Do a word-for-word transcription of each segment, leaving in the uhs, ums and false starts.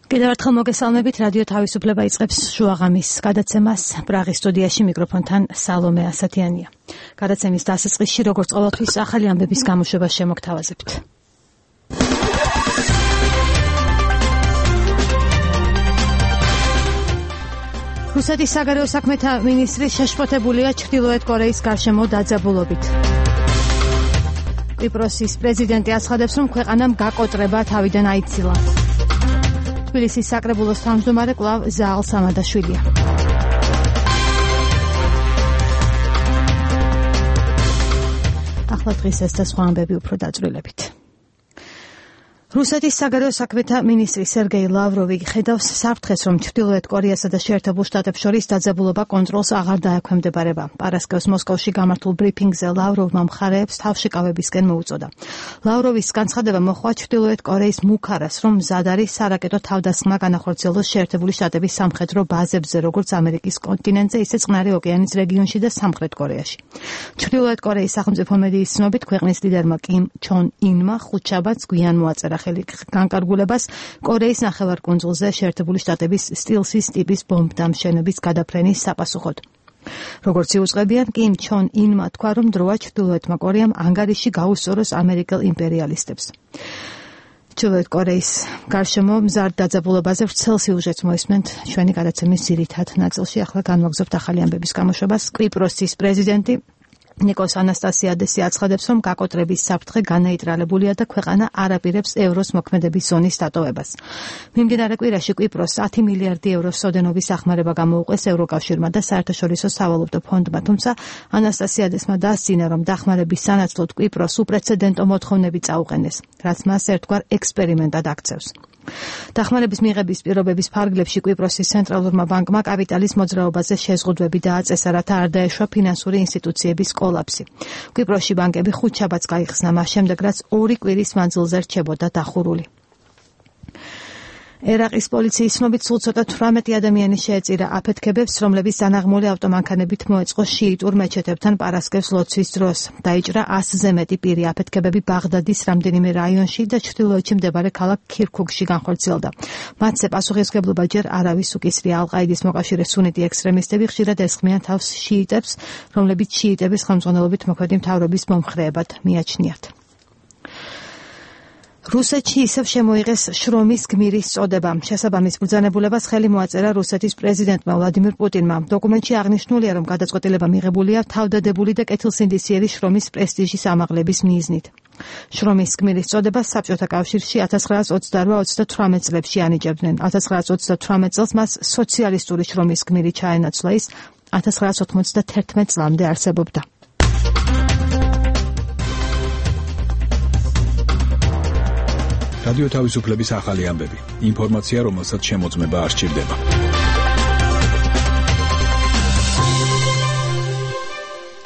კიდევ ერთხელ მოგესალმებით, რადიო თავისუფლება იწყებს შუაღამის გადაცემას. პრაღის სტუდიაში მიკროფონთან სალომე ასათიანია. გადაცემის დასაწყისში, როგორც ყოველთვის, ახალი ამბების გამოშვებას შემოგთავაზებთ. რუსეთის საგარეო საქმეთა მინისტრი შეშფოთებულია ჩრდილოეთ კორეის გარშემო დაძაბულობით. კვიპროსის პრეზიდენტი აცხადებს, რომ ქვეყანამ გაკოტრება თავიდან აიცილა. თბილისის საკრებულოს თავმჯდომარე კვლავ ზაალ სამადაშვილია. ახლა დღის ეს და სხვა ამბები უფრო დაწვრილებით. რუსეთის საგარეო საქმეთა მინისტრი სერგეი ლავროვი ხედავს საფრთხეს, რომ ჩრდილოეთ კორეასა და შეერთებულ შტატებს შორის დაძაბულობა კონტროლს აღარ დაექვემდებარება. პარასკევს მოსკოვში გამართულ ბრიფინგზე ლავროვმა მხარეებს თავშეკავებისკენ მოუწოდა. ლავროვის განცხადება მოჰყვა ჩრდილოეთ კორეის მუქარას, რომ მზად არის სარაკეტო თავდასხმა განახორციელოს შეერთებული შტატების სამხედრო ბაზებზე, როგორც ამერიკის კონტინენტზე, ისე წყნარი ოკეანის რეგიონში და სამხრეთ კორეაში. ჩრდილოეთ კორეის სახელმწიფო მედიის ცნობით, ქვეყნის ლიდერმა კიმ ჩონ ინმა ხუთშაბათს გვიან მოაწერა ხელი განკარგულებას კორეის ნახევარკუნძულზე შეერთებული შტატების სტილსის ტიპის ბომბდამშენების გადაფრენის საპასუხოდ. როგორც იუწყებიან, კიმ ჩონ ინმა თქვა, რომ დროა ჩრდილოეთმა კორეამ ანგარიში გაუსწოროს ამერიკელ იმპერიალისტებს. ჩრდილოეთ კორეის გარშემო მზარდ დაძაბულობაზე ვრცელ სიუჟეტს მოისმენთ ჩვენი გადაცემის ძირითად ნაწილში. ახლა განვაგრძობთ ახალი ამბების გამოშვებას. კვიპროსის პრეზიდენტი ნიკოს ანასტასიადესი აცხადებს, რომ გაკოტრების საფრთხე განეიტრალებულია და ქვეყანა არ აპირებს ევროს მოქმედების ზონის დატოვებას. მიმდინარე კვირაში კვიპროსს ათი მილიარდი ევროს სოდენობის სახმარება გამოუყვეს ევროკავშირმა და საერთაშორისო სავალუტო ფონდმა, თუმცა ანასტასიადესმა დასძინა, რომ დახმარების სანაცვლოდ კვიპროსს უპრეცედენტო მოთხოვნები წაუყენეს, რაც მას ერთგვარ ექსპერიმენტად აქცევს. დახმარების მიღების პირობების ფარგლებში კვიპროსის ცენტრალურმა ბანკმა კაპიტალის მოძრაობაზე შეზღუდვები დააწესა, რათა არ დაეშვა ფინანსური ინსტიტუციების კოლაფსი. კვიპროსში ბანკები ხუთშაბათს გაიხსნა, მას შემდეგ რაც ორი კვირის მანძილზე რჩებოდა დახურული. ერაყის პოლიციის ცნობით სულ ცოტა თვრამეტი ადამიანი შეეწირა აფეთქებებს, რომლებიც დანაღმული ავტომანქანებით მოეწყო შიიტურ მეჩეთებთან პარასკევს ლოცვის დროს. დაიჭრა ასზე მეტი პირი. აფეთქებები ბაღდადის რამდენიმე რაიონში და ჩრდილოეთში მდებარე ქალაქ ქირქუქში განხორციელდა. მათზე პასუხისმგებლობა ჯერ არავის უკისრია. ალ-ყაიდის მოკავშირე სუნიტი ექსტრემისტები ხშირად ესხმიან თავს შიიტებს, რომლებიც შიიტების ხელმძღვანელობით მოქმედი მთავრობის მომხრეებად მიაჩნიათ. რუსეთში ისევ შემოიღეს შრომის გმირის წოდება. შესაბამის ბრძანებულებას ხელი მოაწერა რუსეთის პრეზიდენტმა ვლადიმირ პუტინმა. დოკუმენტში აღნიშნულია, რომ გადაწყვეტილება მიღებულია თავდადებული და კეთილსინდისიერი შრომის პრესტიჟის ამაღლების მიზნით. შრომის გმირის წოდებას საბჭოთა კავშირში ათას ცხრაას ოცდაოთხ ოცდათვრამეტ წლებში ანიჭებდნენ. ათას ცხრაას ოცდათვრამეტ წელს მას სოციალისტური შრომის გმირი ჩაენაცვლა, ის ათას ცხრაას ოთხმოცდათერთმეტ წლამდე არსებობდა. რადიო თავისუფლების ახალი ამბები. ინფორმაცია, რომელსაც შემოწმება არ სჭირდება.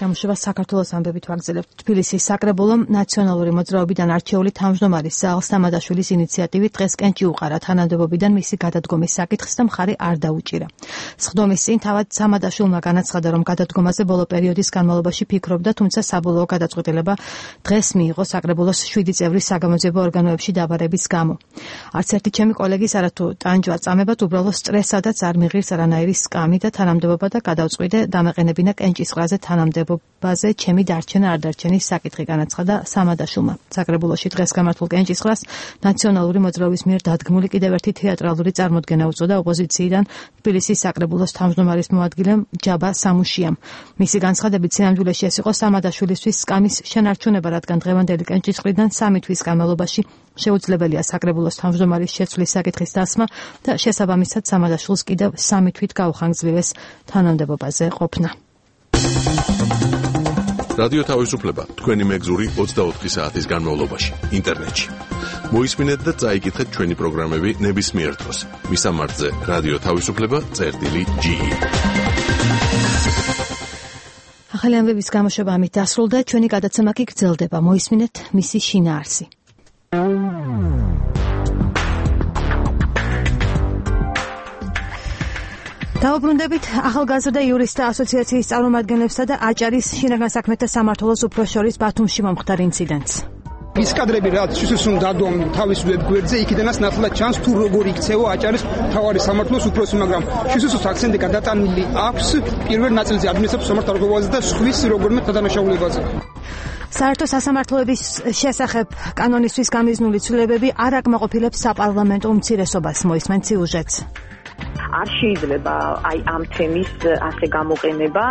გამოშვება საქართველოს ამბებით ვაგრძელებთ. თბილისის საკრებულომ ნაციონალური მოძრაობიდან არჩეული თავმჯდომარის ზაალ სამადაშვილის ინიციატივით დღეს კენჭი უყარა თანამდებობიდან მისი გადადგომის საკითხს და მხარი არ დაუჭირა. სხდომის წინ თავად სამადაშვილმა განაცხადა, რომ გადადგომაზე ბოლო პერიოდის განმავლობაში ფიქრობდა, თუმცა საბოლოო გადაწყვეტილება დღეს მიიღო საკრებულოს შვიდი წევრის საგამოძიებო ორგანოებში დაბარების გამო. არც ერთი ჩემი კოლეგის არათუ ტანჯვა წამებად უბრალოდ სტრესადაც არ მიღირს არანაირი სკამი და თანამდებობა და გადავწყვიტე დამეყენებინა კენჭისყრაზე თანამდებობა ბაზე ჩემი დარჩენა არ დარჩენის საკითხი, განაცხადა სამადაშვილმა. საკრებულოში დღეს გამართულ კენჭისყრას ნაციონალური მოძრაობის მიერ დადგმული კიდევ ერთი თეატრალური წარმოდგენა უწოდა ოპოზიციიდან თბილისის საკრებულოს თავმჯდომარის მოადგილემ ჯაბა სამუშიამ. მისი განცხადებით, სინამდვილეში ეს იყო სამადაშვილისთვის სკამის შენარჩუნება, რადგან დღევანდელი კენჭისყრიდან სამი თვის განმავლობაში შეუძლებელია საკრებულოს თავმჯდომარის შეცვლის საკითხის დასმა და შესაბამისად სამადაშვილს კიდევ სამი თვით გაუხანგრძლივეს თანამდებობაზე ყოფნა. რადიო თავისუფლება თქვენი მეგზური ოცდაოთხი საათის განმავლობაში ინტერნეტში. მოისმინეთ და წაიკითხეთ ჩვენი პროგრამები ნებისმიერ დროს. მისამართზე რადიო თავისუფლება წერტილი ჯი. ახალი ამბების გამოშვება ამით დასრულდა. ჩვენი გადაცემა კი გრძელდება. მოისმინეთ მისი შინაარსი. დავუბრუნდებით ახალგაზრდა იურისტთა ასოციაციის წარმომადგენლებსა და აჭარის შინაგან საქმეთა სამმართველოს უფროს შორის ბათუმში მომხდარ ინციდენტს. ის კადრები რაც შესაძლოა დადონ თავის ვებგვერდზე, იქიდანაც ნათლად ჩანს თუ როგორ იქცევა აჭარის მთავარი სამართლოს უფროსი, მაგრამ შესაძლოა აქცენტი გადატანილი აქვს პირველ ნაწილზე ადმინისტრაციულ სამართალობაზე და სხვის როგორმე თანამშრომლებაზე. საერთო სასამართლოების შესახებ კანონისთვის გამიზნული ცვლილებები არ აკმაყოფილებს საპარლამენტო უმცირესობას, მოისმენ სიუჟეტს. არ შეიძლება აი ამ თემის ასე გამოყენება.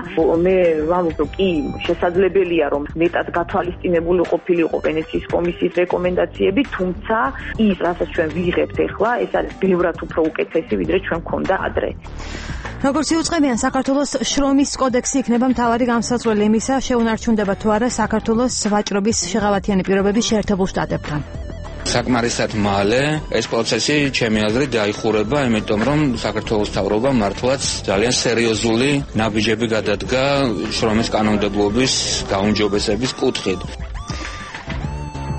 მე ვამბობ, კი, შესაძლებელია რომ მეტად გათვალისწინებული ყოფილიყო ვენეციის კომისიის რეკომენდაციები, თუმცა ის, რასაც ჩვენ ვიღებთ ახლა, ეს არის ბევრად უფრო უკეთესი, ვიდრე ჩვენ გქონდა ადრე. როგორც იუწყებიან, საქართველოს შრომის კოდექსი იქნება მთავარი გამსაცვლელი იმისა, შეუნარჩუნდება თუ არა საქართველოს ვაჭრობის შეღავათიანი პირობები შეერთებულ შტატებთან. საკმარისად მალე ეს პროცესი ჩემი აზრით დაიხურება, იმიტომ რომ საქართველოს მთავრობა მართლაც ძალიან სერიოზული ნაბიჯები გადადგა შრომის კანონმდებლობის გაუმჯობესების კუთხით.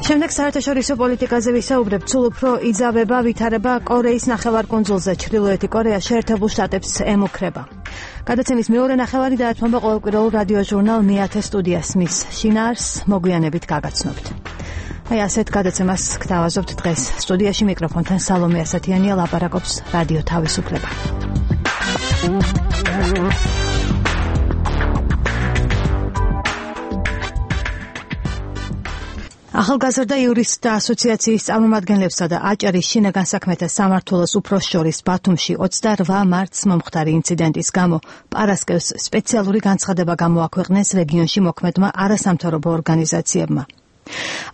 შემდეგ საერთაშორისო პოლიტიკაზე ვისაუბრებთ, სულ უფრო იძავება ვითარება კორეის ნახევარკუნძულზე. ჩრდილოეთი კორეა შეერთებულ შტატებს ემუქრება. გადაცემის მეორე ნახევარი დაეთმობა ყოველკვირეულ რადიო ჟურნალ მეათე სტუდიას, მის შინაარსს მოგვიანებით გაგაცნობთ. აი ასეთ გადაცემას გთავაზობთ დღეს. სტუდიაში მიკროფონთან სალომე ასათიანია, ლაპარაკობს რადიო თავისუფლება. ახალგაზრდა იურისტთა ასოციაციის წარმომადგენლებსა და აჭარის შინაგან საქმეთა სამმართველოს უფროს შორის ბათუმში ოცდარვა მარტს მომხდარი ინციდენტის გამო პარასკევს სპეციალური განცხადება გამოაქვეყნეს რეგიონში მოქმედმა არასამთავრობო ორგანიზაციებმა.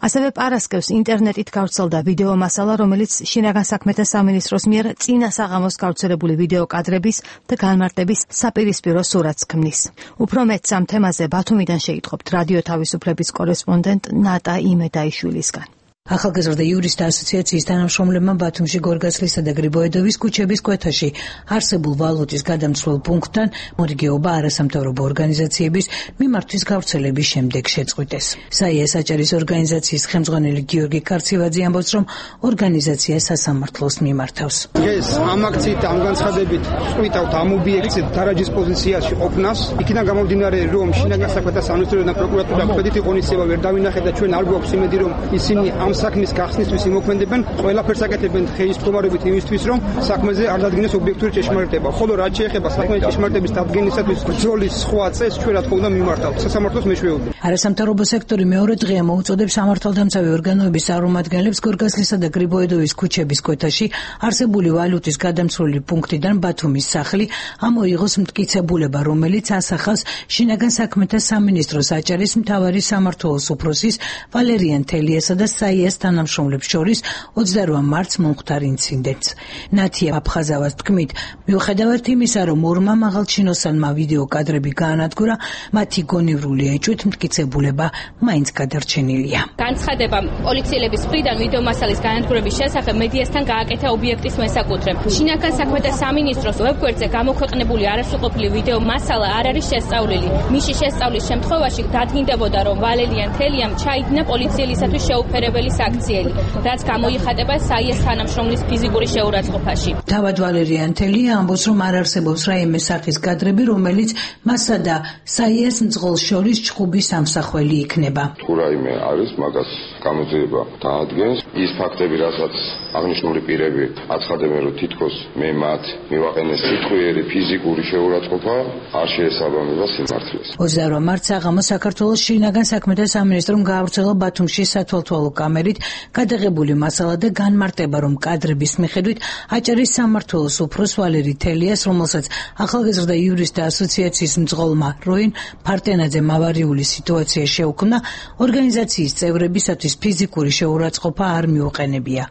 ასევე პარასკევს ინტერნეტით გავრცელდა ვიდეო მასალა, რომელიც შინაგან საქმეთა სამინისტროს მიერ წინა საღამოს გავრცელებული ვიდეო კადრების და განმარტების საპირისპირო სურათს ქმნის. უფრო მეტს ამ თემაზე ბათუმიდან შეიტყობთ რადიო თავისუფლების კორესპონდენტ ნატა იმედაიშვილისგან. ახალგაზრდა იურისტთა ასოციაციის თანამშრომლებმა ბათუმში გორგასლისა და გრიბოედოვის ქუჩების კვეთაში არსებულ ვალუტის გადამცვლელ პუნქტთან მორიგეობა არასამთავრობო ორგანიზაციების მიმართვის გავრცელების შემდეგ შეწყვიტეს. საიეს აჭარის ორგანიზაციის ხელმძღვანელი გიორგი ქარცივაძე ამბობს, რომ ორგანიზაცია სასამართლოს მიმართავს. ეს ამ აქციით, ამ განცხადებით წყვიტავთ ამ ობიექტზე დარაჯის პოზიციაში ყოფნას. იქიდან გამომდინარე, რომ შინაგან საქმეთა სამინისტროს და პროკურატურა ხედითი ღონისძიება ვერ დავინახეთ და ჩვენ არ გვაქვს იმედი, რომ ისინი ამ საქმის გახსნისთვის იმოქმედებენ, ყველაფერს აკეთებენ ხეის მდგომარეობით იმისთვის, რომ საქმეზე არ დადგინდეს ობიექტური ჭეშმარიტება. ხოლო რაც შეეხება საქმეების ჭეშმარიტების დადგენისათვის ბრძოლის სხვა წესს, ჩვენ რა თქმა უნდა მიმართავთ სასამართლოს მეშვეობით. არასამთავრობო სექტორი მეორე დღეა მოუწოდებს სამართალდამცავი ორგანოების წარმომადგენლებს გორგასლისა და გრიბოედოვის ქუჩების კვეთაში არსებული ვალუტის გადამცვლელი პუნქტიდან ბათუმის სახლი ამოიღოს მტკიცებულება, რომელიც ასახავს შინაგან საქმეთა სამინისტროს აჭარის მთავარი სამმართველოს უფროსის ვალერიან თელიასა და საიეს თანამშრომლებს შორის ოცდარვა მარტს მომხდარ ინციდენტს. ნათია აფხაზავას თქმით, მიუხედავად იმისა, რომ ორმა მაღალჩინოსანმა ვიდეო კადრები გაანადგურა, მათი გონივრული ეჭვით მტკიცებულება მაინც გადარჩენილია. განცხადება პოლიციელების მხრიდან ვიდეო მასალის განადგურების შესახებ მედიასთან გააკეთა ობიექტის მესაკუთრე. შინაგან საქმეთა სამინისტროს ვებგვერდზე გამოქვეყნებული არასრულყოფილი ვიდეო მასალა არ არის შესწავლილი. მისი შესწავლის შემთხვევაში დადგინდებოდა, რომ ვალერიან თელიამ ჩაიდინა პოლიციელისათვის შეუფერებელი საქციელი, რაც გამოიხატება საიეს თანამშრომლის ფიზიკური შეურაცხყოფაში. თავად ვალერიან თელია ამბობს, რომ არ არსებობს რაიმე სახის კადრები, რომელიც მასა და საიეს მძღოლს შორის ჭხუბის ამსახველი იქნება. თუ რაიმე არის, მაგას გამოძიება დაადგენს. ის ფაქტები, რასაც აღნიშნული პირები აცხადებენ, რომ თითქოს მე მათ მივაყენეს სიტყვიერი ფიზიკური შეურაცხყოფა, არ შეესაბამება სიმართლეს. ოცდარვა მარტს საღამოს საქართველოს შინაგან საქმეთა სამინისტრომ გაავრცელა ბათუმში სათვალთვალო კამერით გადაღებული მასალა და განმარტება, რომ კადრების მიხედვით აჭარის სამმართველოს უფროს ვალერი თელიას, რომელსაც ახალგაზრდა იურისტთა ასოციაციის მძღოლმა როინ ფარტენაძემ ავარიული სიტუაცია შეუქმნა, ორგანიზაციის წევრებისათვის ფიზიკური შეურაცხყოფა არ მიუყენებია.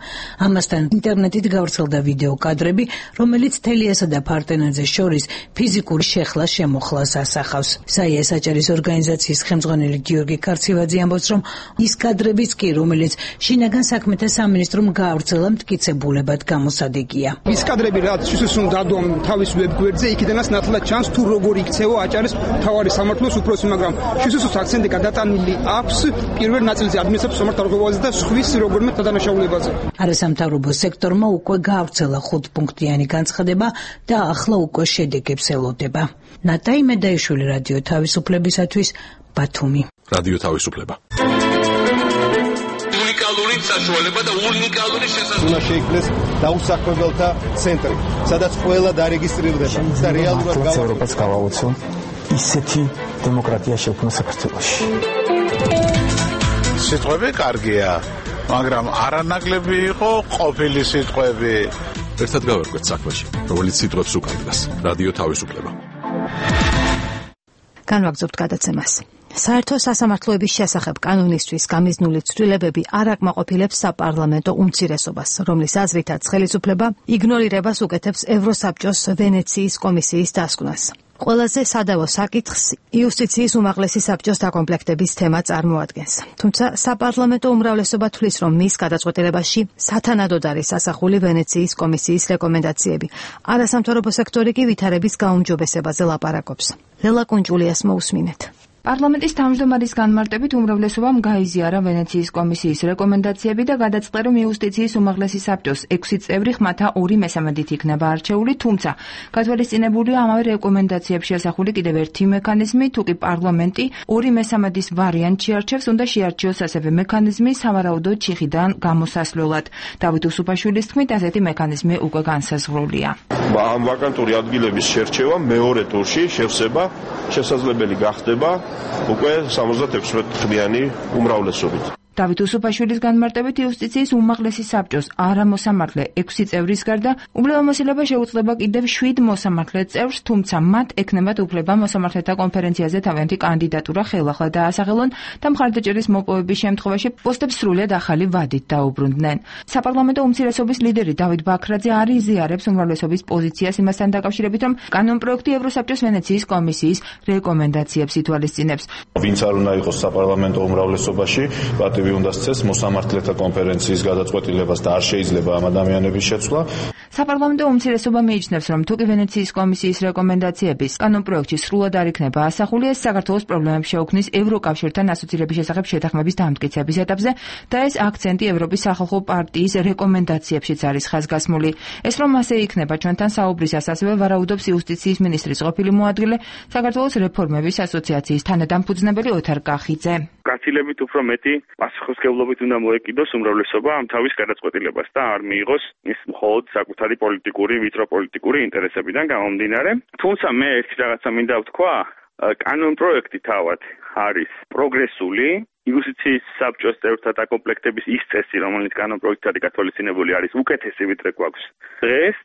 ამასთან ინტერნეტით გავრცელდა ვიდეო კადრები, რომელიც თელიასა და ფარტენაძეს შორის ფიზიკური შეხლას შემოხლას ასახავს. საიეს აჭარის ორგანიზაციის ხელმძღვანელი გიორგი ქარცივაძე ამბობს, რომ ის კადრებიც კი, რომელიც შინაგან საქმეთა სამინისტრომ გაავრცელა, მტკიცებულებად გამოსადეგია. ის კადრები რაც შესაძლოა დადონ თავის ვებგვერდზე, იქიდანაც ნათლად ჩანს თუ როგორ იქცევა აჭარის მთავარი სამმართველოს უფროსი, მაგრამ შესაძლოა აქცენტი გადატანილი აქვს პირველ ნაწილზე ადმინისტრაციულ სამართალობაზე და სხვის როგორმე თანამშრომლებაზე. არასამთავრობო სექტორმა უკვე გაავრცელა ხუთპუნქტიანი განცხადება და ახლა უკვე შედეგებს ელოდება. ნატა იმედაიშვილი, რადიო თავისუფლებისათვის, ბათუმი. რადიო თავისუფლება. საშუალება და უნიკალური შესაძლებლობა. უნდა შეიქმნეს დაუსაქმებელთა ცენტრი, სადაც ყველა დარეგისტრირდება და რეალურად ევროპას გავაუწევ ისეთი დემოკრატია შექმნა საქართველოში. სიტყვები კარგია, მაგრამ არანაკლები იყო ყოფილი სიტყვები. ერთად გავერკვეთ საქმეში, რომელიც სიტყვებს უკარგავს. რადიო თავისუფლება. განვაგრძობთ გადაცემას. საერთო სასამართლოების შესახებ კანონისთვის გამიზნული ცვლილებები არ აკმაყოფილებს საპარლამენტო უმცირესობას, რომლის აზრითაც ხელისუფლება იგნორირებას უკეთებს ევროსაბჭოს ვენეციის კომისიის დასკვნას. ყველაზე სადავო საკითხს იუსტიციის უმაღლესი საბჭოს დაკომპლექტების თემა წარმოადგენს. თუმცა საპარლამენტო უმრავლესობა თვლის, რომ მის გადაწყვეტილებაში სათანადოდ არის ასახული ვენეციის კომისიის რეკომენდაციები. არასამთავრობო სექტორი კი ვითარების გაუმჯობესებაზე ლაპარაკობს. ლელა კუნჭულიას მოусმინეთ. პარლამენტის თავმჯდომარის განმარტებით უმრავლესობამ გაიზიარა ვენეციის კომისიის რეკომენდაციები და გადაწყდა, რომ იუსტიციის უმაღლესი საბჭოს ექვსი წევრი ხმათა ორი მესამედით იქნება არჩეული, თუმცა გათვალისწინებულია ამავე რეკომენდაციებში ასახული კიდევ ერთი მექანიზმი, თუ კი პარლამენტი ორი მესამედის ვარიანტში არჩევს, უნდა შეარჩიოს ასევე მექანიზმი სავარაუდო ჩიხიდან გამოსასვლელად. დავით უსუფაშვილის თქმით, ასეთი მექანიზმი უკვე განსაზღვრულია. ამ ვაკანტური ადგილების შერჩევა მეორე ტურში შევსება შესაძლებელი გახდება უკვე სამოცდაექვსმეტ-ხმიანი უმრავლესობით. დავით უსუფაშვილის განმარტებით იუსტიციის უმაღლესი საბჭოს არამოსამართლე ექვსი წევრის გარდა უფლებამოსილება შეუძლება კიდევ შვიდ მოსამართლე წევრს, თუმცა მათ ექნებათ უფლება მოსამართლეთა კონფერენციაზე თავიანთი კანდიდატურა ხელახლა დაასახელონ და მხარდაჭერის მოპოვების შემთხვევაში პოსტებს სრულად ახალი ვადით დაუბრუნდნენ. საპარლამენტო უმცირესობის ლიდერი დავით ბაქრაძე არ იზიარებს უმრავლესობის პოზიციას იმასთან დაკავშირებით, რომ კანონპროექტი ევროსაბჭოს ვენეციის კომისიის რეკომენდაციებს ითვალისწინებს. ვინც არ უნდა იყოს საპარლამენტო უმრავლესობაში, პატივი უნდა სცეს მოსამართლეთა კონფერენციის გადაწყვეტილებას და არ შეიძლება ამ ადამიანების შეცვლა. საპარლამენტო უმცირესობა მიიჩნევს, რომ თუ კი ვენეციის კომისიის რეკომენდაციების კანონპროექტში სრულად არ იქნება ასახული, ეს საქართველოს პრობლემებს შეუქმნის ევროკავშირთან ასოცირების შესახებ შეთანხმების დამტკიცების ეტაპზე და ეს აქცენტი ევროპის სახალხო პარტიის რეკომენდაციებშიც არის ხაზგასმული. ეს რომ ასე იქნება ჩვენთან საუბრისას ასევე ვარაუდობს იუსტიციის მინისტრის ყოფილი მოადგილე, საქართველოს რეფორმების ასოციაციის თანადამფუძნებელი ოთარ კახიძე. გაცილებით უფრო მეტი პასუხისმგებლობით უნდა მოეკიდოს უმრავლესობა ამ თავის გადაწყვეტილებას და არ მიიღოს ის მხოლოდ საკუთარი პოლიტიკური, ვიტროპოლიტიკური ინტერესებიდან გამომდინარე. თუმცა მე ერთი რაღაცა მინდა ვთქვა, კანონპროექტი თავად არის პროგრესული, იუსტიციის საბჭოს წევრთა დაკომპლექტების ის წესი, რომელიც კანონპროექტად გათვალისწინებული არის, უკეთესი ვიდრე გვაქვს დღეს.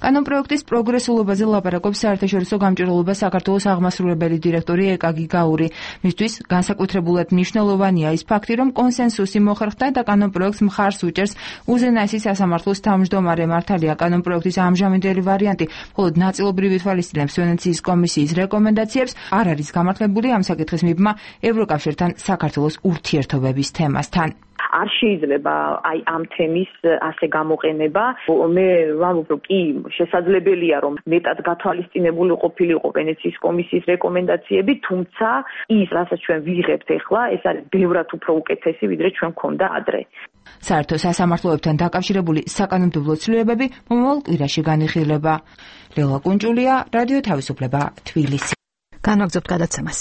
კანონპროექტის პროგრესულობაზე ლაპარაკობს საერთაშორისო გამჭირვალობა საქართველოს აღმასრულებელი დირექტორი ეკაგი გაური. მისთვის განსაკუთრებულად მნიშვნელოვანია ის ფაქტი, რომ კონსენსუსი მოხერხდა და კანონპროექტს მხარს უჭერს უზენაესი სასამართლოს თავმჯდომარე. მართალია, კანონპროექტის ამჟამინდელი ვარიანტი მხოლოდ ნაწილობრივ ითვალისწინებს ვენეციის კომისიის რეკომენდაციებს, არ არის გამართლებული ამ საკითხის მიბმა ევროკავშირთან საქართველოს ურთიერთობების თემასთან. არ შეიძლება აი ამ თემის ასე გამოყენება. მე ვამბობ, რომ კი შესაძლებელია, რომ მეტად გათვალისწინებული ყოფილიყო ვენეციის კომისიის რეკომენდაციები, თუმცა ის, რასაც ჩვენ ვიღებთ ახლა, ეს არის ბევრად უფრო უკეთესი, ვიდრე ჩვენ გქონდა ადრე. საერთო სასამართლოებთან დაკავშირებული საკანონმდებლო ცვლილებები მომავალ კვირაში განიხილება. ლელა კუნჭულია, რადიო თავისუფლება, თბილისი. განვაგრძობთ გადაცემას.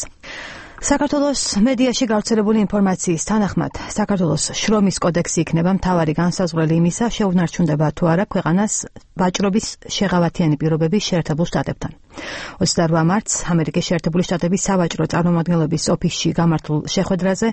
საქართველოს მედიაში გავრცელებული ინფორმაციის თანახმად, საქართველოს შრომის კოდექსი იქნება მთავარი განსაზღვრელი იმისა, შეუნარჩუნდება თუ არა ქვეყანას ვაჭრობის შეღავათიანი პირობების შეერთებულ შტატებთან. ოცდაორ მარტს ამერიკის შეერთებული შტატების სავაჭრო წარმომადგენლობის ოფისში გამართულ შეხვედრაზე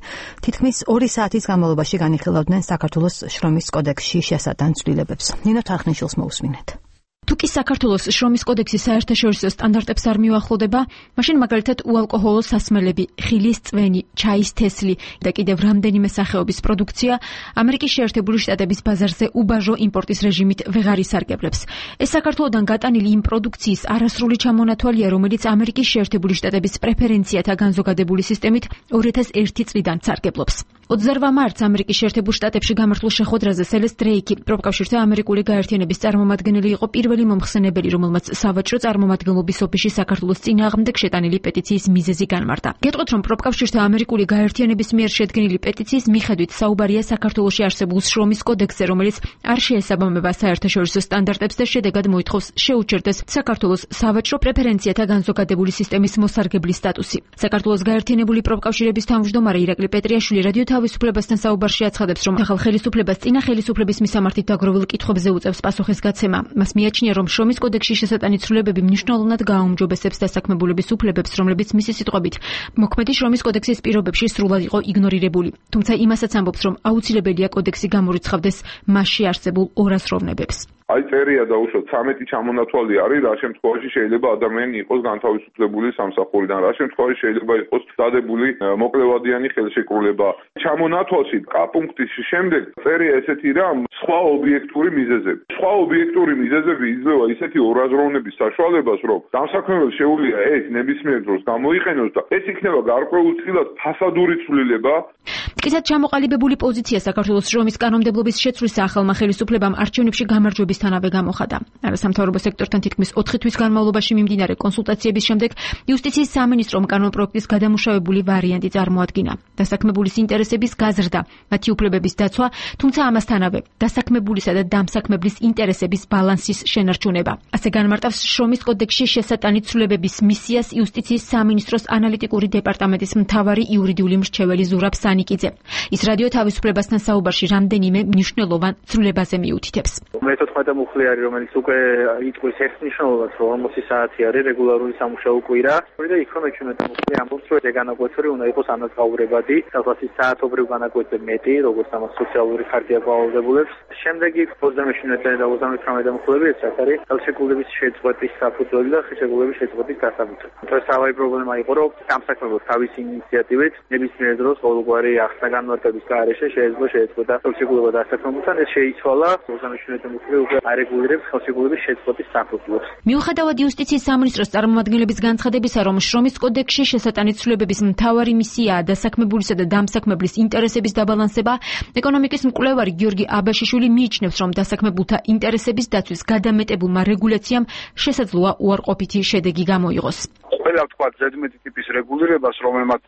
თითქმის ორი საათის განმავლობაში განიხილავდნენ საქართველოს შრომის კოდექსში შესატან ცვლილებებს. ნინო თარხნიშვილს მოусმინეთ. თუ კი საქართველოს შრომის კოდექსი საერთაშორისო სტანდარტებს არ მიუახლოვდება, მაშინ მაგალითად უალკოჰოლო სასმელები, ხილის წვენი, ჩაის თესლი და კიდევ რამდენიმე სახეობის პროდუქცია ამერიკის შეერთებული შტატების ბაზარზე უბაჟო იმპორტის რეჟიმით ვეღარ ისარგებლებს. ეს საქართველოდან გატანილი იმ პროდუქციის არასრული ჩამონათვალია, რომელიც ამერიკის შეერთებული შტატების პრეფერენციათა განზოგადებული სისტემით ორი ათას ერთი წლიდან სარგებლობს. ოცდაორ მარტს ამერიკის შეერთებულ შტატებში გამართულ შეხვედრაზე სელეს დრეიკი, პროფკავშირთა ამერიკული გაერთიანების წარმომადგენელი იყო პირველი პირველი მომხსენებელი, რომელმაც სავაჭრო წარმომადგენლობის ოფისში საქართველოს წინააღმდეგ შეტანილი პეტიციის მიზეზი განმარტა. გეტყვით, რომ პროფკავშირთა ამერიკული გაერთიანების მიერ შედგენილი პეტიციის მიხედვით საუბარია საქართველოში არსებულ შრომის კოდექსზე, რომელიც არ შეესაბამება საერთაშორისო სტანდარტებს და შედეგად მოითხოვს შეუჩერდეს საქართველოს სავაჭრო პრეფერენციათა განზოგადებული სისტემის მოსარგებლის სტატუსი. საქართველოს გაერთიანებული პროფკავშირების თავმჯდომარე ირაკლი პეტრიაშვილი რადიო თავისუფლებასთან საუბარში აცხადებს, რომ ახალ ხელისუფლებას წინა ხელისუფლების მისამართით დაგროვილ კითხვებზე უწევს პასუხის გაცემა. მას მიაჩნია, რომ შრომის კოდექსში შესატანი ცვლილებები მნიშვნელოვნად გააუმჯობესებს დასაქმებულების უფლებებს, რომლებიც მისი სიტყვებით მოქმედი შრომის კოდექსის პირობებში სრულად იყო იგნორირებული. თუმცა იმასაც ამბობს, რომ აუცილებელია კოდექსი გამორიცხავდეს მასში არსებულ ორაზროვნებებს. აი წერია და უშოთ ცამეტი ჩამონათვალი არის, რა შემთხვევაში შეიძლება ადამიანი იყოს განთავისუფლებული სამსახურიდან, რა შემთხვევაში შეიძლება იყოს დადებული მოკლევადიანი ხელშეკრულება. ჩამონათვალში კ პუნქტის შემდეგ წერია ესეთი რამ სხვა ობიექტური მიზეზები. სხვა ობიექტური მიზეზები იძლევა ისეთი ორაზროვნების საშუალებას, რომ დამსაქმებელს შეუძლია ეს ნებისმიერ დროს გამოიყენოს და ეს იქნება გარკვეულწილად ფასადური ცვლილება. მტკიცედ ჩამოყალიბებული პოზიცია საქართველოს შრომის კანონმდებლობის შეცვლისა ახალმა ხელისუფლებამ არჩევნებში გამარჯვებისთანავე გამოხატა. არასამთავრობო სექტორთან თითქმის ოთხი თვის განმავლობაში მიმდინარე კონსულტაციების შემდეგ იუსტიციის სამინისტრომ კანონპროექტის გადამუშავებული ვარიანტი წარმოადგინა. დასაქმებულის ინტერესების გაზრდა, მათი უფლებების დაცვა, თუმცა ამასთანავე დასაქმებულისა და დამსაქმებლის ინტერესების ბალანსის შენარჩუნება. ასე განმარტავს შრომის კოდექსში შესატანი ცვლილებების მისიას იუსტიციის სამინისტროს ანალიტიკური დეპარტამენტის მთავარი იურიდიული მრჩეველი ზურაბ სანიკიძე. ის რადიო თავისუფლებასთან საუბარში რამდენიმე მნიშვნელოვან ცვლილებაზე მიუთითებს. მეთოთხმეტე მუხლი არის, რომელიც უკვე იტყვის ერთ მნიშვნელობას, რომ ორმოცი საათი არის რეგულარული სამუშაო კვირა. და იქ რომ მეჩვენეთ მუხლი ამბობს, რომ ეს განაკვეთური უნდა იყოს ანაზღაურებადი, სადაც საათობრივ განაკვეთზე მეტი, როგორც ამას სოციალური ხარჯია გვავალდებულებს. შემდეგ იქ ოცდამეშვიდმეტე და ოცდამეთვრამეტე მუხლები ეს არის ხელშეკრულების შეწყვეტის საფუძველი და ხელშეკრულების შეწყვეტის დასაბუთი. ეს თავი პრობლემა იყო, რომ სამსაქმებელს თავისი ინიციატივით ნებისმიერ დროს ყოველგვარი ახსნა განმარტების გარეშე შეიძლება შეეწყვეტა ხელშეკრულება დასაქმებულთან, ეს შეიცვალა ოცდამეშვიდმეტე მუხლი უკვე არეგულირებს ხელშეკრულების შეწყვეტის საფუძვლებს. მიუხედავად იუსტიციის სამინისტროს წარმომადგენლების განცხადებისა, რომ შრომის კოდექსში შესატანი ცვლილებების მთავარი მისიაა დასაქმებულისა და დამსაქმებლის ინტერესების დაბალანსება, ეკონომიკის მკვლევარი გიორგი აბაშიშვილი მიიჩნევს, რომ დასაქმებულთა ინტერესების დაცვის გადამეტებულმა რეგულაციამ შესაძლოა უარყოფითი შედეგი გამოიღოს. ყველა თქვა ზედმეტი ტიპის რეგულირებას, რომელმაც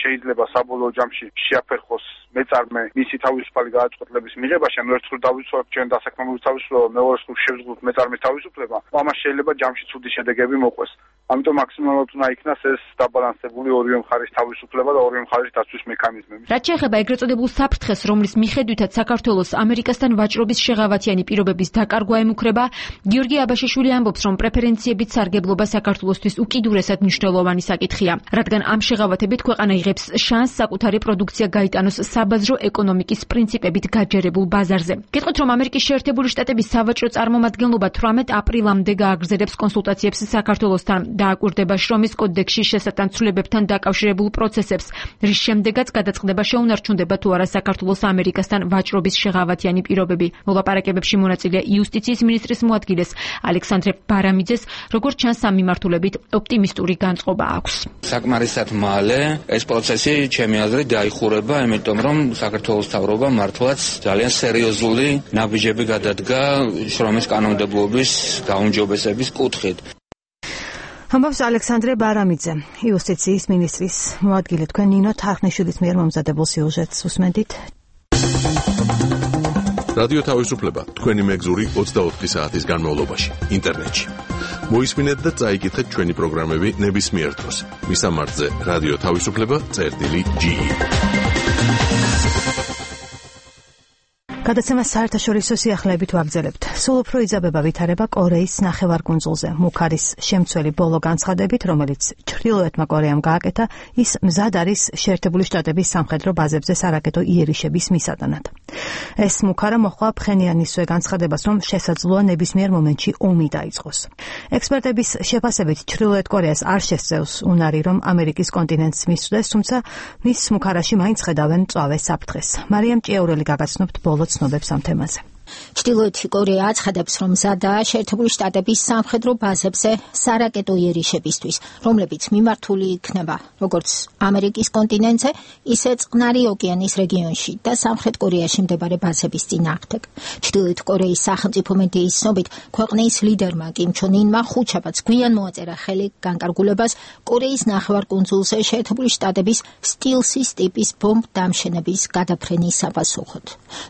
შეიძლება საბოლოო ჯამში შეაფერხოს მეწარმე მისი თავისუფალი გადაწყვეტილების მიღებაში, ანუ ერთხელ დავიცვათ ჩვენ დასაქმებულის თავისუფლება, მეორე მხრივ შევძლოთ მეწარმის თავისუფლება, ამას შეიძლება ჯამში ცუდი შედეგები მოყვეს. ამიტომ მაქსიმალურად უნდა იქნას ეს დაბალანსებული ორივე მხარის თავისუფლება და ორივე მხარის დაცვის მექანიზმები. რაც შეეხება ეგრეთ წოდებულ საფრთხეს, რომლის მიხედვითაც საქართველოს ამერიკასთან ვაჭრობის შეღავათიანი პირობების დაკარგვა ემუქრება, გიორგი აბაშიშვილი ამბობს, რომ პრეფერენციებით სარგებლობა საქართველოსთვის უკიდურესად მნიშვნელოვანი საკითხია, რადგან ამ შეღავათებით ქვეყანა იღებს შანსს საკუთარი პროდუქცია გაიტანოს საბაზრო ეკონომიკის პრინციპებით გაჯერებულ ბაზარზე. გეტყვით, რომ ამერიკის შეერთებული შტატების სავაჭრო წარმომადგენლობა თვრამეტ აპრილამდე გააგრძელებს კონსულტაციებს საქართველოსთან და აკვირდება შრომის კოდექსში შესატან ცვლილებებთან დაკავშირებულ პროცესებს, რის შემდეგაც გადაწყდება შეუნარჩუნდება თუ არა საქართველოს ამერიკასთან ვაჭრობის შეღავათიანი პირობები. მოლაპარაკებებში მონაწილეა იუსტიციის მინისტრის მოადგილეს ალექსანდრე ბარამიძეს, როგორც ჩანს ამ მიმართულებით ოპტიმისტური განწყობა აქვს. საკმარისად მალე ეს პროცესი ჩემი აზრით დაიხურება, იმიტომ რომ საქართველოს მთავრობა მართლაც ძალიან სერიოზული ნაბიჯები გადადგა შრომის კანონმდებლობის გაუმჯობესების კუთხით. ამბობს ალექსანდრე ბარამიძე, იუსტიციის მინისტრის მოადგილე. თქვენ ნინო თარხნიშვილის მიერ მომზადებულ სიუჟეტს უსმენდით. რადიო თავისუფლება თქვენი მეგზური ოცდაოთხი საათის განმავლობაში ინტერნეტში. მოისმინეთ და წაიკითხეთ ჩვენი პროგრამები ნებისმიერ დროს. მისამართზე რადიო თავისუფლება წერტილი ჯი. გადაცემა საერთაშორისო სიახლეებით ვაგრძელებთ. სულ უფრო იძაბება ვითარება კორეის ნახევარკუნძულზე. მუქარის შემცველი ბოლო განცხადებით, რომელიც ჩრდილოეთმა კორეამ გააკეთა, ის მზად არის შეერთებული შტატების სამხედრო ბაზებზე სარაკეტო იერიშების მისატანად. ეს მუქარა მოჰყვა ფხენიანისვე განცხადებას, რომ შესაძლოა ნებისმიერ მომენტში ომი დაიწყოს. ექსპერტების შეფასებით ჩრდილოეთ კორეას არ შესწევს უნარი, რომ ამერიკის კონტინენტს მისვდეს, თუმცა მის მუქარაში მაინც ხედავენ მწვავე საფრთხეს. მარიამ ჭიაურელი გაგაცნობთ ბოლო ცნობებს ამ თემაზე. ჩრდილოეთი კორეა აცხადებს, რომ მზადაა შეერთებული შტატების სამხედრო ბაზებზე სარაკეტო იერიშებისთვის, რომლებიც მიმართული იქნება როგორც ამერიკის კონტინენტზე, ისე წყნარი ოკეანის რეგიონში და სამხრეთ კორეაში მდებარე ბაზების წინააღმდეგ. ჩრდილოეთ კორეის სახელმწიფო მედიის ცნობით, ქვეყნის ლიდერმა კიმ ჩონ ინმა ხუთშაბათს გვიან მოაწერა ხელი განკარგულებას კორეის ნახევარკუნძულზე შეერთებული შტატების სტილსის ტიპის ბომბ დამშენების გადაფრენის საპასუხოდ.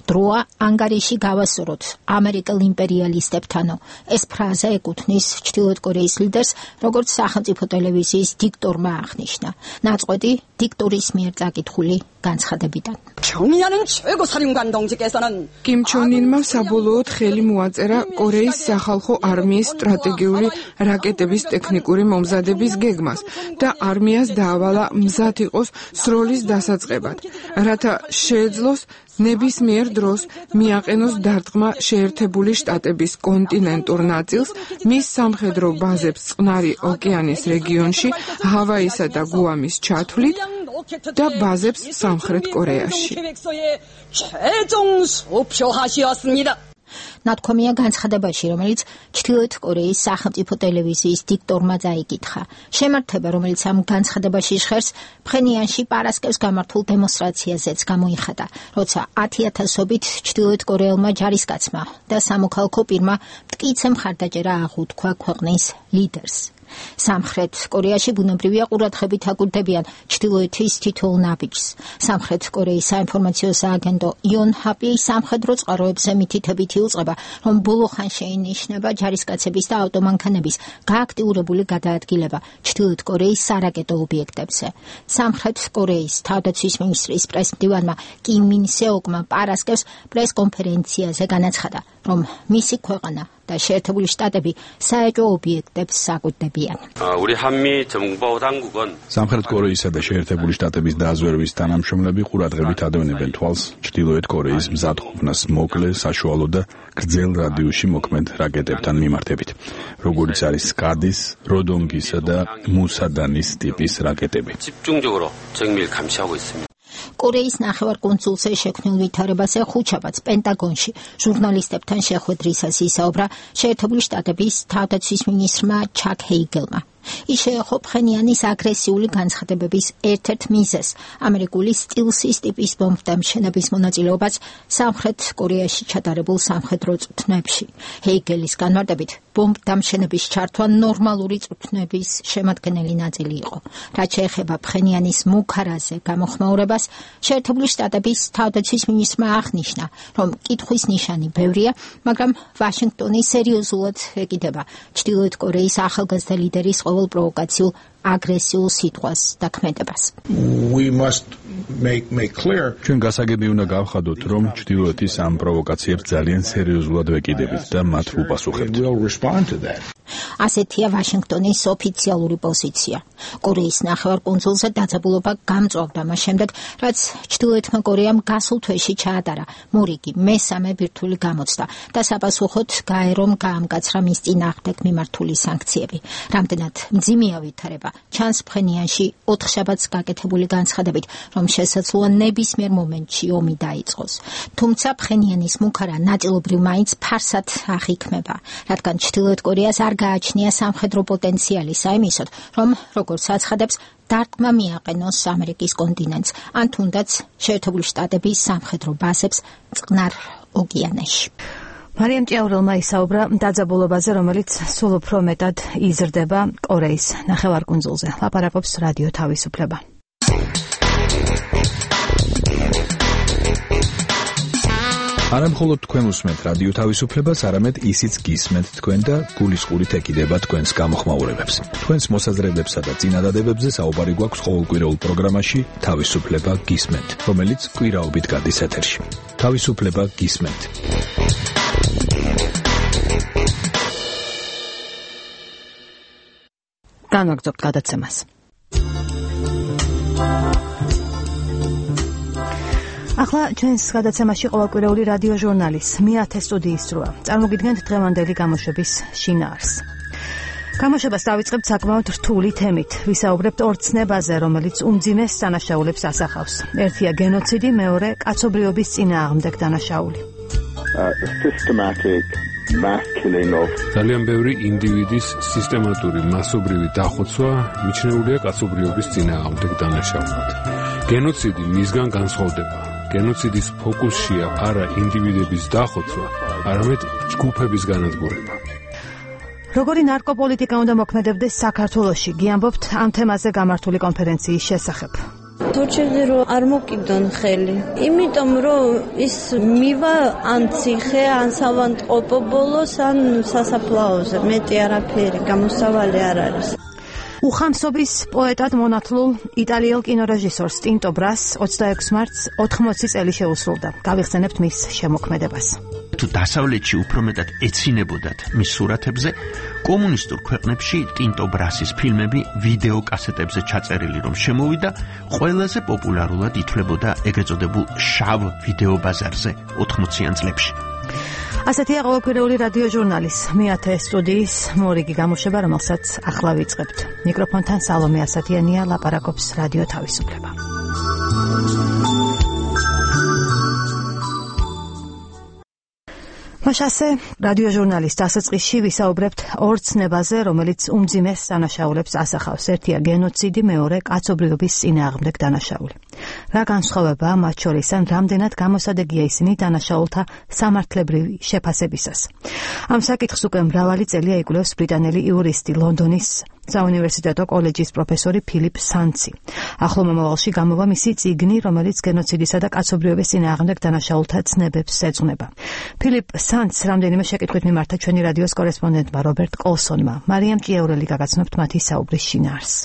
დროა ანგარიში გავასწოროთ ამერიკელ იმპერიალისტებთანო. ეს ფრაზა ეკუთვნის ჩრდილოეთ კორეის ლიდერს, როგორც სახელმწიფო ტელევიზიის დიქტორმა აღნიშნა. ნაწყვეტი დიქტორის მიერ წაკითხული განცხადებიდან. კიმ ჩონ ინმა საბოლოოდ ხელი მოაწერა კორეის სახალხო არმიის სტრატეგიული რაკეტების ტექნიკური მომზადების გეგმას და არმიას დაავალა მზად იყოს სროლის დასაწყებად, რათა შეეძლოს ნებისმიერ დროს მიაყენოს დარტყმა შეერთებული შტატების კონტინენტურ ნაწილს, მის სამხედრო ბაზებს წყნარი ოკეანის რეგიონში, ჰავაისა და გუამის ჩათვლით და ბაზებს სამხრეთ კორეაში. ნათქვამია განცხადებაში, რომელიც ჩრდილოეთ კორეის სახელმწიფო ტელევიზიის დიქტორმა წაიკითხა. შემართება, რომელიც ამ განცხადებაში ჟღერს, ფხენიანში პარასკევს გამართულ დემონსტრაციაზეც გამოიხატა, როცა ათი ათასობით ჩრდილოეთ კორეელმა ჯარისკაცმა და სამოქალაქო პირმა მტკიცე მხარდაჭერა აღუთქვა ქვეყნის ლიდერს. სამხრეთ კორეაში ბუნებრივია ყურადღებით აკვირდებიან ჩრდილოეთის თითოეულ ნაბიჯს. სამხრეთ კორეის საინფორმაციო სააგენტო იონჰაპი სამხედრო წყაროებზე მითითებით იუწყება, რომ ბოლო ხან შეინიშნება ჯარისკაცების და ავტომანქანების გააქტიურებული გადაადგილება ჩრდილოეთ კორეის სარაკეტო ობიექტებზე. სამხრეთ კორეის თავდაცვის მინისტრის პრესმდივანმა კიმ მინ სეოკმა პარასკევს პრესკონფერენციაზე განაცხადა, რომ მისი ქვეყანა და შეერთებული შტატები საეჭვო ობიექტებს საკვირდებიან. სამხრეთ კორეისა და შეერთებული შტატების დაზვერვის თანამშრომლები ყურადღებით ადევნებენ თვალს ჩრდილოეთ კორეის მზადყოფნას მოკლე, საშუალო და გრძელ რადიუსში მოქმედ რაკეტებთან მიმართებით, როგორიც არის სკადის, როდონგისა და მუსადანის ტიპის რაკეტები. კორეის ნახევარკუნძულზე შექმნილ ვითარებაზე ხუთშაბათს პენტაგონში ჟურნალისტებთან შეხვედრისას ისაუბრა შეერთებული შტატების თავდაცვის მინისტრმა ჩაკ ჰეიგელმა. ის შეეხო ფხენიანის აგრესიული განცხადებების ერთ-ერთ მიზეზს, ამერიკული სტილსის ტიპის ბომბდამშენების მონაწილეობას სამხრეთ კორეაში ჩატარებულ სამხედრო წვრთნებში. ჰეიგელის განმარტებით, ბომბდამშენების ჩართვა ნორმალური წვრთნების შემადგენელი ნაწილი იყო. რაც შეეხება ფხენიანის მუქარაზე გამოხმაურებას, შეერთებული შტატების თავდაცვის მინისტრმა აღნიშნა, რომ კითხვის ნიშანი ბევრია, მაგრამ ვაშინგტონი სერიოზულად ეკიდება ჩრდილოეთ კორეის ახალგაზრდა ლიდერის ყოველ პროვოკაციულ აგრესიულ სიტყვას და ქმედებას. ჩვენ გასაგები უნდა გავხადოთ, რომ ჩრდილოეთის ამ პროვოკაციებს ძალიან სერიოზულად ვეკიდებით და მათ უპასუხებთ. ასეთია ვაშინგტონის ოფიციალური პოზიცია. კორეის ნახევარკუნძულზე დაძაბულობა გამწვავდა მას შემდეგ, რაც ჩრდილოეთმა კორეამ გასულ თვეში ჩაატარა მორიგი მესამე ბირთვული გამოცდა და საპასუხოდ გაერომ გაამკაცრა მის წინააღმდეგ მიმართული სანქციები. რამდენად მძიმეა ვითარება ჩანს ფხენიანში ოთხშაბათს გაკეთებული განცხადებით, რომ შესაძლოა ნებისმიერ მომენტში ომი დაიწყოს. თუმცა ფხენიანის მუქარა ნაწილობრივ მაინც ფარსად აღიქმება, რადგან ჩრდილოეთ კორეას არ გააჩნია სამხედრო პოტენციალი საიმისოდ, რომ როგორც აცხადებს, დარტყმა მიაყენოს ამერიკის კონტინენტს, ან თუნდაც შეერთებული შტატების სამხედრო ბაზებს წყნარ ოკეანეში. მარიამ ჭიაურელმა ისაუბრა დაძაბულობაზე, რომელიც სულ უფრო მეტად იზრდება კორეის ნახევარკუნძულზე. ლაპარაკობს რადიო თავისუფლება. არა მხოლოდ თქვენ უსმენთ რადიო თავისუფლებას, არამედ ისიც გისმენთ თქვენ და გულისყურით ეკიდება თქვენს გამოხმაურებებს. თქვენს მოსაზრებებსა და წინადადებებზე საუბარი გვაქვს ყოველკვირეულ პროგრამაში თავისუფლება გისმენთ, რომელიც კვირაობით გადის ეთერში. თავისუფლება გისმენთ. განვაგრძობთ გადაცემას. ახლა ჩვენს გადაცემაში ყოველკვირეული რადიო ჟურნალის მეათე სტუდიის დროა. წარმოგიდგენთ დღევანდელი გამოშვების შინაარსს. გამოშვებას დავიწყებთ საკმაოდ რთული თემით. ვისაუბრებთ ორ ცნებაზე, რომელიც უმძიმეს დანაშაულებს ასახავს. ერთია გენოციდი, მეორე კაცობრიობის წინააღმდეგ დანაშაული. the systematic mass killing of ძალიან ბევრი ინდივიდის სისტემატური მასობრივი დახოცვა მიჩნეულია კაცობრიობის წინააღმდეგ დანაშაულად. გენოციდი მისგან განსხვავდება. გენოციდის ფოკუსშია არა ინდივიდების დახოცვა, არამედ ჯგუფების განადგურება. როგორი ნარკოპოლიტიკა უნდა მოქმედებდეს საქართველოში, გიამბობთ ამ თემაზე გამართული კონფერენციის შესახებ. თორჩები რომ არ მოკიდონ ხელი. იმიტომ რომ ის მივა ან ციხე, ან სავანტყოფო ბოლოს, ან სასაფლაოზე. მეტი არაფერი გამოსავალი არ არის. უხამსობის პოეტად მონათლულ იტალიელ კინორეჟისორს ტინტო ბრას ოცდაექვსი მარტს ოთხმოცი წელი შეუსრულდა. გავიხსენებთ მის შემოქმედებას. თუ დასავლეთში უფრო მეტად ეცინებოდათ მის სურათებზე, კომუნისტურ ქვეყნებში ტინტო ბრასის ფილმები ვიდეო კასეტებზე ჩაწერილი რომ შემოვიდა, ყველაზე პოპულარულად ითვლებოდა ეგრეთ წოდებულ შავ ვიდეო ბაზარზე ოთხმოციან წლებში. ასეთია ყოველკვირეული რადიო ჟურნალის მეათე სტუდიის მორიგი გამოშვება, რომელსაც ახლა ვიწყებთ. მიკროფონთან სალომე ასათიანია, ლაპარაკობს რადიო თავისუფლება. მაშასე რადიო ჟურნალის დასაწყისში ვისაუბრებთ ორ ცნებაზე, რომელიც უმძიმეს დანაშაულებს ასახავს. ერთია გენოციდი, მეორე კაცობრიობის წინააღმდეგ დანაშაული. რა განსხვავებაა მათ შორის, ან რამდენად გამოსადეგია ისინი დანაშაულთა სამართლებრივი შეფასებისას. ამ საკითხს უკვე მრავალი წელია იკვლევს ბრიტანელი იურისტი, ლონდონის საუნივერსიტეტო კოლეჯის პროფესორი ფილიპ სანცი. ახლო მომავალში გამოვა მისი წიგნი, რომელიც გენოციდისა და კაცობრიობის წინააღმდეგ დანაშაულთა ცნებებს ეძღვნება. ფილიპ სანცს რამდენიმე შეკითხვით მიმართა ჩვენი რადიოს კორესპონდენტმა რობერტ კოლსონმა. მარიამ ჭიაურელი გაგაცნობთ მათი საუბრის შინაარსს.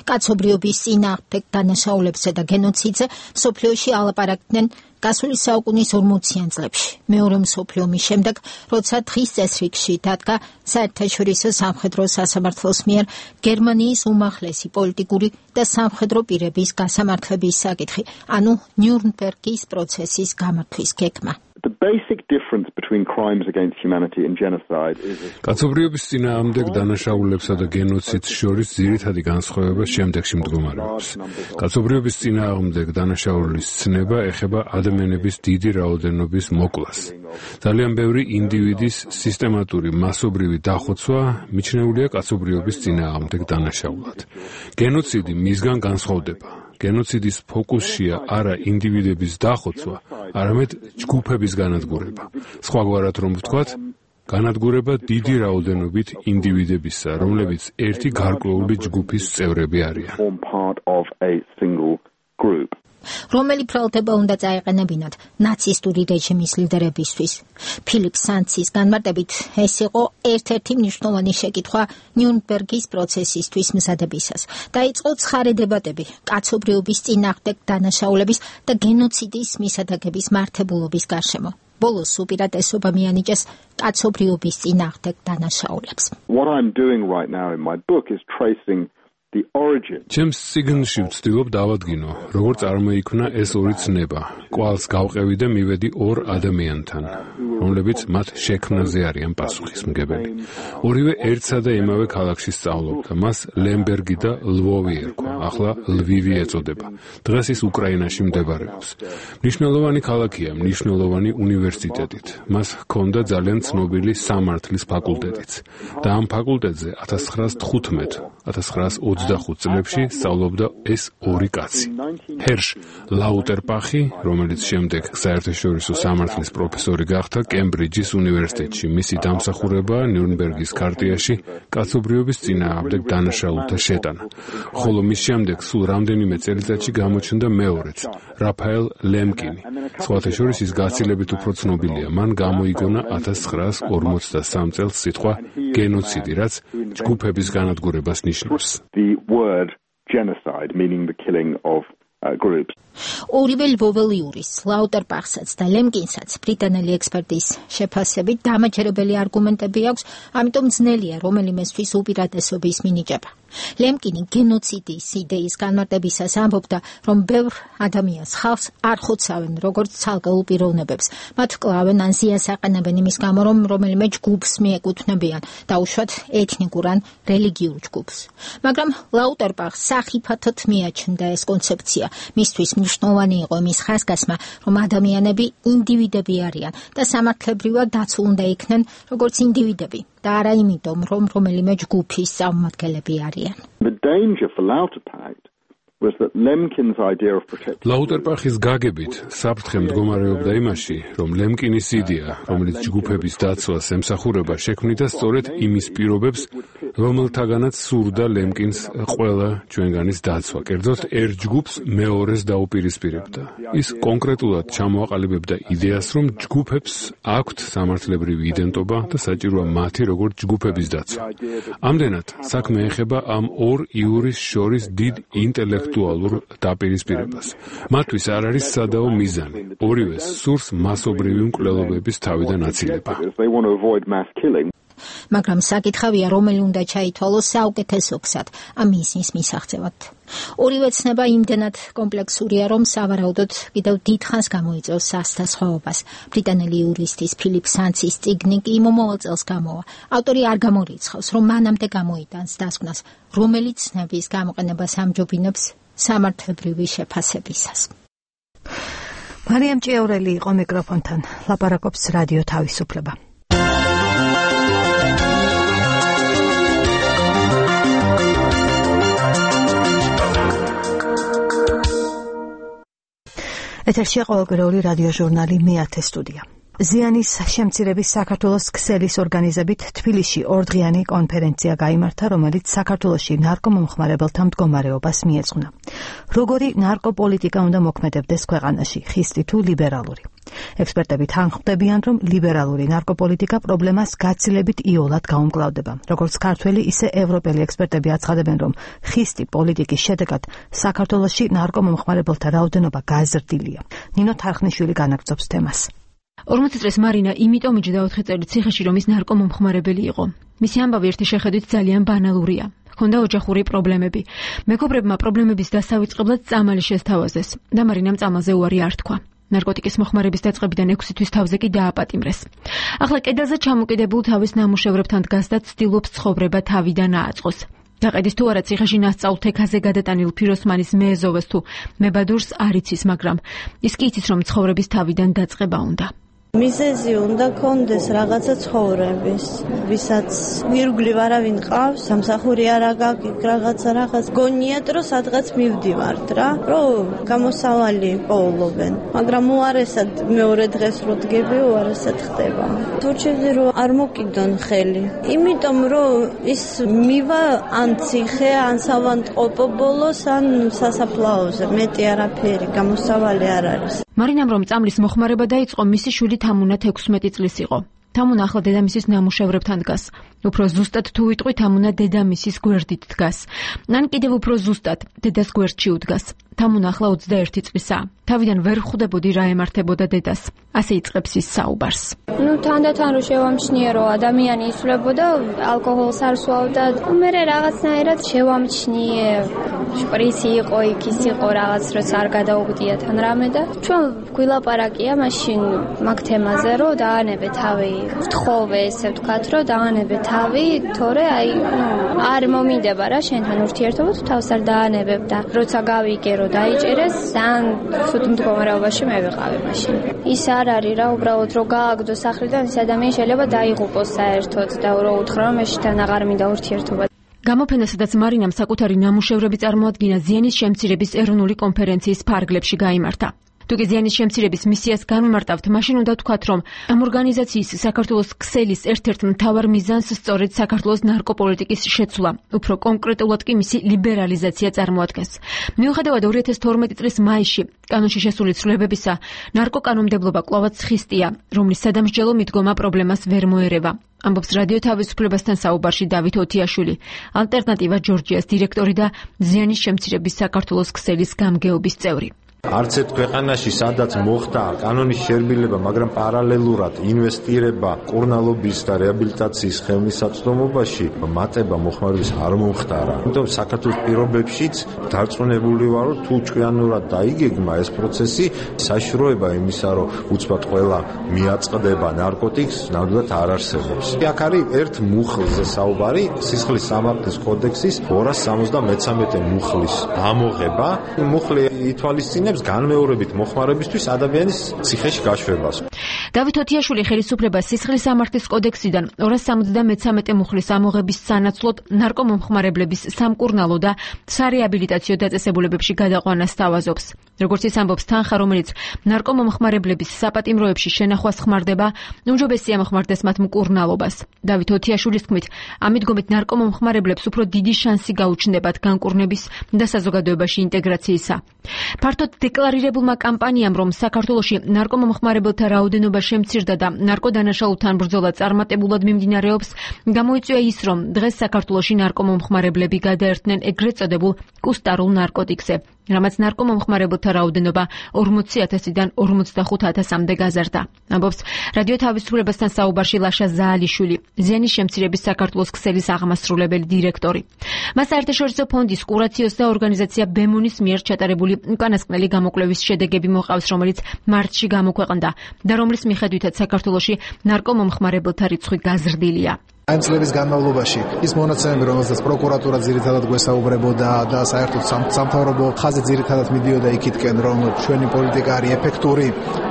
კაცობრიობის წინააღმდეგ დანაშაულებსა და გენოციდზე მსოფლიოში ალაპარაკდნენ გასული საუკუნის ორმოციან წლებში. მეორე მსოფლიო ომის შემდეგ, როცა დღის წესრიგში დადგა საერთაშორისო სამხედრო სასამართლოს მიერ გერმანიის უმაღლესი პოლიტიკური და სამხედრო პირების გასამართლების საკითხი, ანუ ნიურნბერგის პროცესის გამართვის გეგმა. The basic difference between crimes against humanity and genocide is კაცობრიობის წინააღმდეგ დანაშაულებსა და გენოციდს შორის ძირითადი განსხვავება შემდეგში მდგომარეობს. კაცობრიობის წინააღმდეგ დანაშაულის ცნება ეხება ადამიანების დიდი რაოდენობის მოკლას. ძალიან ბევრი ინდივიდის სისტემატური მასობრივი დახოცვა მიჩნეულია კაცობრიობის წინააღმდეგ დანაშაულად. გენოციდი მისგან განსხვავდება. გენოციდის ფოკუსშია არა ინდივიდების დახოცვა, არამედ ჯგუფების განადგურება. სხვაგვარად რომ ვთქვათ, განადგურება დიდი რაოდენობით ინდივიდებისა, რომლებიც ერთი გარკვეული ჯგუფის წევრები არიან. რომელი ბრალდება უნდა წაეყენებინათ ნაცისტური რეჟიმის ლიდერებისთვის. ფილიპ სანცის განმარტებით, ეს იყო ერთ-ერთი მნიშვნელოვანი შეკითხვა ნიურნბერგის პროცესისთვის მზადებისას. დაიწყო ცხარე დებატები კაცობრიობის წინააღმდეგ დანაშაულების და გენოციდის მისადაგების მართებულობის გარშემო. ბოლოს უპირატესობა მიანიჭეს კაცობრიობის წინააღმდეგ დანაშაულებს. What I'm doing right now in my book is tracing the origin. ჩემს წიგნში ვცდილობ დავადგინო, როგორ წარმოიქმნა ეს ორი ცნება. კვალს გავყევი და მივედი ორ ადამიანთან, რომლებიც მათ შექმნაზე არიან პასუხისმგებელი. ორივე ერთსა და იმავე ქალაქში სწავლობდა. მას ლემბერგი და ლვოვი ერქვა, ახლა ლვივი ეწოდება. დღეს ის უკრაინაში მდებარეობს. მნიშვნელოვანი ქალაქია, მნიშვნელოვანი უნივერსიტეტით. მას ჰქონდა ძალიან ცნობილი სამართლის ფაკულტეტიც. და ამ ფაკულტეტზე ათას ცხრაას თხუთმეტ ათას ცხრაას ოცდახუთ წლებში სწავლობდა ეს ორი კაცი. ჰერშ ლაუტერპახი, რომელიც შემდეგ საერთაშორისო სამართლის პროფესორი გახდა კემბრიჯის უნივერსიტეტში. მისი დამსახურებაა ნიურნბერგის ქარტიაში კაცობრიობის წინააღმდეგ დანაშაულთა შეტანა. ხოლო მის შემდეგ სულ რამდენიმე წელიწადში გამოჩნდა მეორეც, რაფაელ ლემკინი. სხვათა შორის ის გაცილებით უფრო ცნობილია. მან გამოიგონა ათას ცხრაას ორმოცდასამ წელს სიტყვა გენოციდი, რაც ჯგუფების განადგურებას ნიშნავს. The word genocide, meaning the killing of uh, groups. ორივე ლვოველიურის, ლაუტერპახსაც და ლემკინსაც ბრიტანელი ექსპერტის შეფასებით დამაჯერებელი არგუმენტები აქვს, ამიტომ ძნელია რომელიმესთვის უპირატესობის მინიჭება. ლემკინი გენოციდის იდეის განმარტებისას ამბობდა, რომ ბევრ ადამიანს ხალხს არ ხოცავენ როგორც ცალკეულ პიროვნებებს. მათ კლავენ ან ზიანს აყენებენ იმის გამო, რომ რომელიმე ჯგუფს მიეკუთვნებიან, დაუშვათ ეთნიკურ ან რელიგიურ ჯგუფს. მაგრამ ლაუტერბახს სახიფათოდ მიაჩნდა ეს კონცეფცია. მისთვის მნიშვნელოვანი იყო მის ხაზგასმა, რომ ადამიანები ინდივიდები არიან და სამართლებრივად დაცულ უნდა იქნენ როგორც ინდივიდები და არა იმიტომ, რომ რომელიმე ჯგუფის წარმომადგენლები არიან. The danger for Lauterpacht was that Lemkin's idea of protection ლაუტერბახის გაგებით საფრთხე მდგომარეობდა იმაში, რომ ლემკინის იდეა, რომელიც ჯგუფების დაცვას ემსახურება, შექმნიდა სწორედ იმის პირობებს, რომელთაგანაც სურდა ლემკინს ყველა ჩვენგანის დაცვა, კერძოდ ერთ ჯგუფს მეორეს დაუპირისპირებდა. ის კონკრეტულად ჩამოაყალიბებდა იდეას, რომ ჯგუფებს აქვთ სამართლებრივი იდენტობა და საჭიროა მათი როგორც ჯგუფების დაცვა. ამდენად საქმე ეხება ამ ორ იურის შორის დიდ ინტელექტუალურ დაპირისპირებას. მათთვის არ არის სადაო მიზანი. ორივეს სურს მასობრივი მკვლელობების თავიდან აცილება. მაგრამ საკითხავია, რომელი უნდა ჩაითვალოს საუკეთესო გზად ამ მიზნის მისაღწევად. ორივე ცნება იმდენად კომპლექსურია, რომ სავარაუდოდ კიდევ დიდ ხანს გამოიწვევს სასწაულებას. ბრიტანელი იურისტის ფილიპ სანცის წიგნი კი მომავალ წელს გამოვა. ავტორი არ გამორიცხავს, რომ მანამდე გამოიტანს დასკვნას, რომელი ცნების გამოყენებას ამჯობინებს სამართლებრივი შეფასებისას. მარიამ ჭიაურელი იყო მიკროფონთან. ლაპარაკობს რადიო თავისუფლება. ეთერშია ყოველკვირეული რადიო ჟურნალი მეათე სტუდია. ზიანის შემცირების საქართველოს ქსელის ორგანიზებით თბილისში ორდღიანი კონფერენცია გაიმართა, რომელიც საქართველოში ნარკომომხმარებელთა მდგომარეობას მიეძღვნა. როგორი ნარკოპოლიტიკა უნდა მოქმედებდეს ქვეყანაში, ხისტი თუ ლიბერალური? ექსპერტები თანხმდებიან, რომ ლიბერალური ნარკოპოლიტიკა პრობლემას გაცილებით იოლად გაუმკლავდება. როგორც ქართველი, ისე ევროპელი ექსპერტები აცხადებენ, რომ ხისტი პოლიტიკის შედეგად საქართველოში ნარკომომხმარებელთა რაოდენობა გაზრდილია. ნინო თარხნიშვილი განაგრძობს თემას. ორმოცი წლის მარინა იმიტომ იჯდა ოთხი წელი ციხეში, რომ ის ნარკომომხმარებელი იყო. მისი ამბავი ერთი შეხედვით ძალიან ბანალურია. ჰქონდა ოჯახური პრობლემები. მეგობრებმა პრობლემების დასავიწყებლად წამალი შესთავაზეს და მარინამ წამალზე უარი არ თქვა. ნარკოტიკის მოხმარების დაწყებიდან ექვსი თვის თავზე კი დააპატიმრეს. ახლა კედელზე ჩამოკიდებულ თავის ნამუშევრებთან დგას და ცდილობს ცხოვრება თავიდან ააწყოს. გაყედის თუ არა ციხეში ნასწავლ თექაზე გადატანილ ფიროსმანის მეეზოვეს თუ მებადურს არ იცის, მაგრამ ის კი იცის, რომ ცხოვრების თავიდან დაწყება უნდა. მიზეზი უნდა კონდეს რაღაცა ცხოვრების, ვისაც ირგვლივ არავინ ყავს, სამსახური არ აგაკ რაღაცა რაღაც გონიათ, რომ სადღაც მივდივართ რა, რომ გამოსავალი პოულობენ. მაგრამ უარესად მეორე დღეს რო დგები, უარესად ხდება. თორჩები რომ არ მოკიდონ ხელი. იმიტომ რომ ის მივა ან ციხე, ან სავანტყოფო ბოლოს, ან სასაფლაოზე, მეტი არაფერი, გამოსავალი არ არის. მარინამ რომ წამლის მოხმარება დაიწყო, მისი შვილი თამუნა თექვსმეტი წლის იყო. თამუნა ახლა დედამისის ნამუშევრებთან დგას. უფრო ზუსტად თუ ვიტყვი, თამუნა დედამისის გვერდით დგას. ან კიდევ უფრო ზუსტად, დედას გვერდში უდგას. თამუნა ახლა ოცდაერთი წლისაა. თავიდან ვერ ხვდებოდი რა ემართებოდა დედას. ასე იწყებს ის საუბარს. ნუ თანდათან რო შევამჩნიე, რომ ადამიანი იცვლებოდა, ალკოჰოლს არ სვავდა, მე რაღაცნაირად შევამჩნიე, შპრიცი იყო, იქ ის იყო, რაღაც როცა არ გადაუგდია თან რამე და ჩვენ გვილაპარაკია მაშინ მაგ თემაზე, რომ დაანებე თავი, ვთხოვე ესე ვთქვათ, რომ დაანებე თავი, თორე აი, ნუ არ მომინდება რა შენთან ურთიერთობა, თუ თავს არ დაანებებ და როცა გავიგე, რომ დაიჭერეს, ძალიან ცუდ მდგომარეობაში მე ვიყავი მაშინ. ის არ არის რა, უბრალოდ რომ გააგდო სახლიდან, ის ადამიანი შეიძლება დაიღუპოს საერთოდ და რო უთხრა, რომ მეშთან აღარ მინდა ურთიერთობა. გამოფენასადაც მარინამ საკუთარი ნამუშევრები წარმოადგინა ზიანის შემცირების ეროვნული კონფერენციის ფარგლებში გაიმართა. თუ კი ზიანის შემცირების მისიას განვმარტავთ, მაშინ უნდა თქვათ, რომ ამ ორგანიზაციის საქართველოს ქსელის ერთ-ერთ მთავარ მიზანს სწორედ საქართველოს ნარკოპოლიტიკის შეცვლა, უფრო კონკრეტულად კი მისი ლიბერალიზაცია წარმოადგენს. მიუხედავად ორი ათას თორმეტი წლის მაისში კანონში შესული ცვლილებებისა, ნარკოკანონმდებლობა კვლავაც ხისტია, რომლის სადამსჯელო მიდგომა პრობლემას ვერ მოერევა. ამბობს რადიო თავისუფლებასთან საუბარში დავით ოთიაშვილი, ალტერნატივა ჯორჯიას დირექტორი და ზიანის შემცირების საქართველოს ქსელის გამგეობის წევრი. არც ერთ ქვეყანაში სადაც მოხდა კანონის შერბილება, მაგრამ პარალელურად ინვესტირება კურნალობის და რეაბილიტაციის ხელმისაწვდომობაში მატება მოხმარების არ მომხდარა. ამიტომ საქართველოს პირობებშიც დარწმუნებული ვარ, რომ თუ ჭკვიანურად დაიგეგმა ეს პროცესი, საშუალება იმისა, რომ უცბად ყველა მიაწყდება ნარკოტიკს, ნამდვილად არ არსებობს. აქ არის ერთ მუხლზე საუბარი, სისხლის სამართლის კოდექსის ორას სამოცდამეცამეტე მუხლის ამოღება. მუხლი ითვალისწინებს განმეორებით მოხმარებისთვის ადამიანის ციხეში გაშვებას. დავით თოთიაშვილი ხელისუფლებას სისხლის სამართლის კოდექსიდან ორას სამოცდამეცამეტე მუხლის ამოღების სანაცვლოდ ნარკომომხმარებლების სამკურნალო და სარეაბილიტაციო დაწესებულებებში გადაყვანას სთავაზობს. როგორც ის ამბობს, თანხა, რომელიც ნარკომომხმარებლების საპატიმროებში შენახვას ხმარდება, უმჯობესია მოხმარდეს მათ მკურნალობას. დავით თოთიაშვილის თქმით, ამით ნარკომომხმარებლებს უფრო დიდი შანსი გაუჩნდებათ განკურნების და საზოგადოებაში ინტეგრაციისა. ფართოდ დეკლარირებულმა კამპანიამ, რომ საქართველოში ნარკომომხმარებელთა რაოდენობა შემცირდა და ნარკოდანაშაულთან ბრძოლა წარმატებულად მიმდინარეობს, გამოიწვია ის, რომ დღეს საქართველოში ნარკომომხმარებლები გადაერთნენ ეგრეთ წოდებულ კუსტარულ ნარკოტიკზე, რამაც ნარკომომხმარებელთა რაოდენობა ორმოცი ათასიდან ორმოცდახუთ ათასამდე გაზარდა. ამბობს რადიო თავისუფლებასთან საუბარში ლაშა ზაალიშვილი, ზიანის შემცირების საქართველოს ქსელის აღმასრულებელი დირექტორი. მას საერთაშორისო ფონდის კურაციოს და ორგანიზაცია ბემუნის მიერ ჩატარებული უკანასკნელი გამოკვლევის შედეგები მოყავს, რომელიც მარტში გამოქვეყნდა და რომლის მიხედვითაც საქართველოში ნარკომომხმარებელთა რიცხვი გაზრდილია. Ამ წლების განმავლობაში ის მონაცემები, რომელსაც პროკურატურა ძირითადად გვესაუბრებოდა და საერთოდ სამთავრობო ხაზი ძირითადად მიდიოდა იქითკენ, რომ ჩვენი პოლიტიკა არის ეფექტური,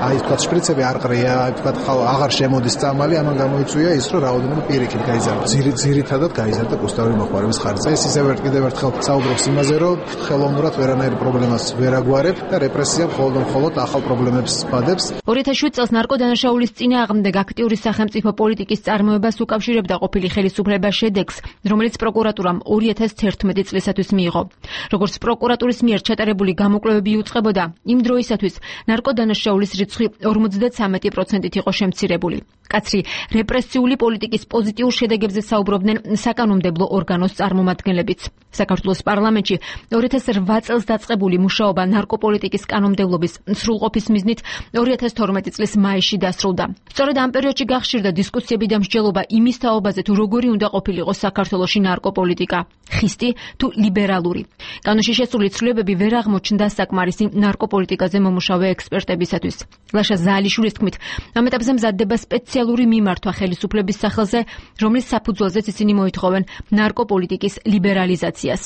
აი თქვა შპრიცები არ ყრია, აი თქვა აღარ შემოდის წამალი, ამან გამოიწვია ის, რომ რაოდენობა პირიქით გაიზარდა. ძირითადად გაიზარდა კუსტარული მოხმარების ხარჯზე. ეს ისევ ერთ კიდევ ერთხელ საუბრობს იმაზე, რომ ხელოვნურად ვერანაირ პრობლემას ვერ აგვარებ და რეპრესია მხოლოდ მხოლოდ ახალ პრობლემებს ბადებს. ორი ათას შვიდ წელს ნარკოდანაშაულის წინააღმდეგ აქტიური სახელმწიფო პოლიტიკის წარმოებას უკავშირებდა ყოფილი ხელისუფლება შედეგს, რომელიც პროკურატურამ ორი ათას თერთმეტი წლისათვის მიიღო. როგორც პროკურატურის მიერ ჩატარებული გამოკვლევები იუწყებოდა, იმ დროისათვის ნარკოდანაშაულის რიცხვი ორმოცდაცამეტი პროცენტით იყო შემცირებული. კაცრი რეპრესიული პოლიტიკის პოზიტიურ შედეგებზე საუბრობდნენ საკანონმდებლო ორგანოს წარმომადგენლებიც. საქართველოს პარლამენტში ორი ათას რვა წელს დაწყებული მუშაობა ნარკოპოლიტიკის კანონმდებლობის სრულყოფის მიზნით ორი ათას თორმეტი წლის მაისში დასრულდა. სწორედ ამ პერიოდში გახშირდა დისკუსიები და მსჯელობა იმის თაობაზე, თუ როგორი უნდა ყოფილიყო საქართველოში ნარკოპოლიტიკა, ხისტი თუ ლიბერალური. კანონში შესული ცვლილებები ვერ აღმოჩნდა საკმარისი ნარკოპოლიტიკაზე მომუშავე ექსპერტებისათვის. ლაშა ზაალიშვილის თქმით, ამ ეტაპზე მზადდება სპეციალური მიმართვა ხელისუფლების სახელზე, რომლის საფუძველზეც ისინი მოითხოვენ ნარკოპოლიტიკის ლიბერალიზაციას.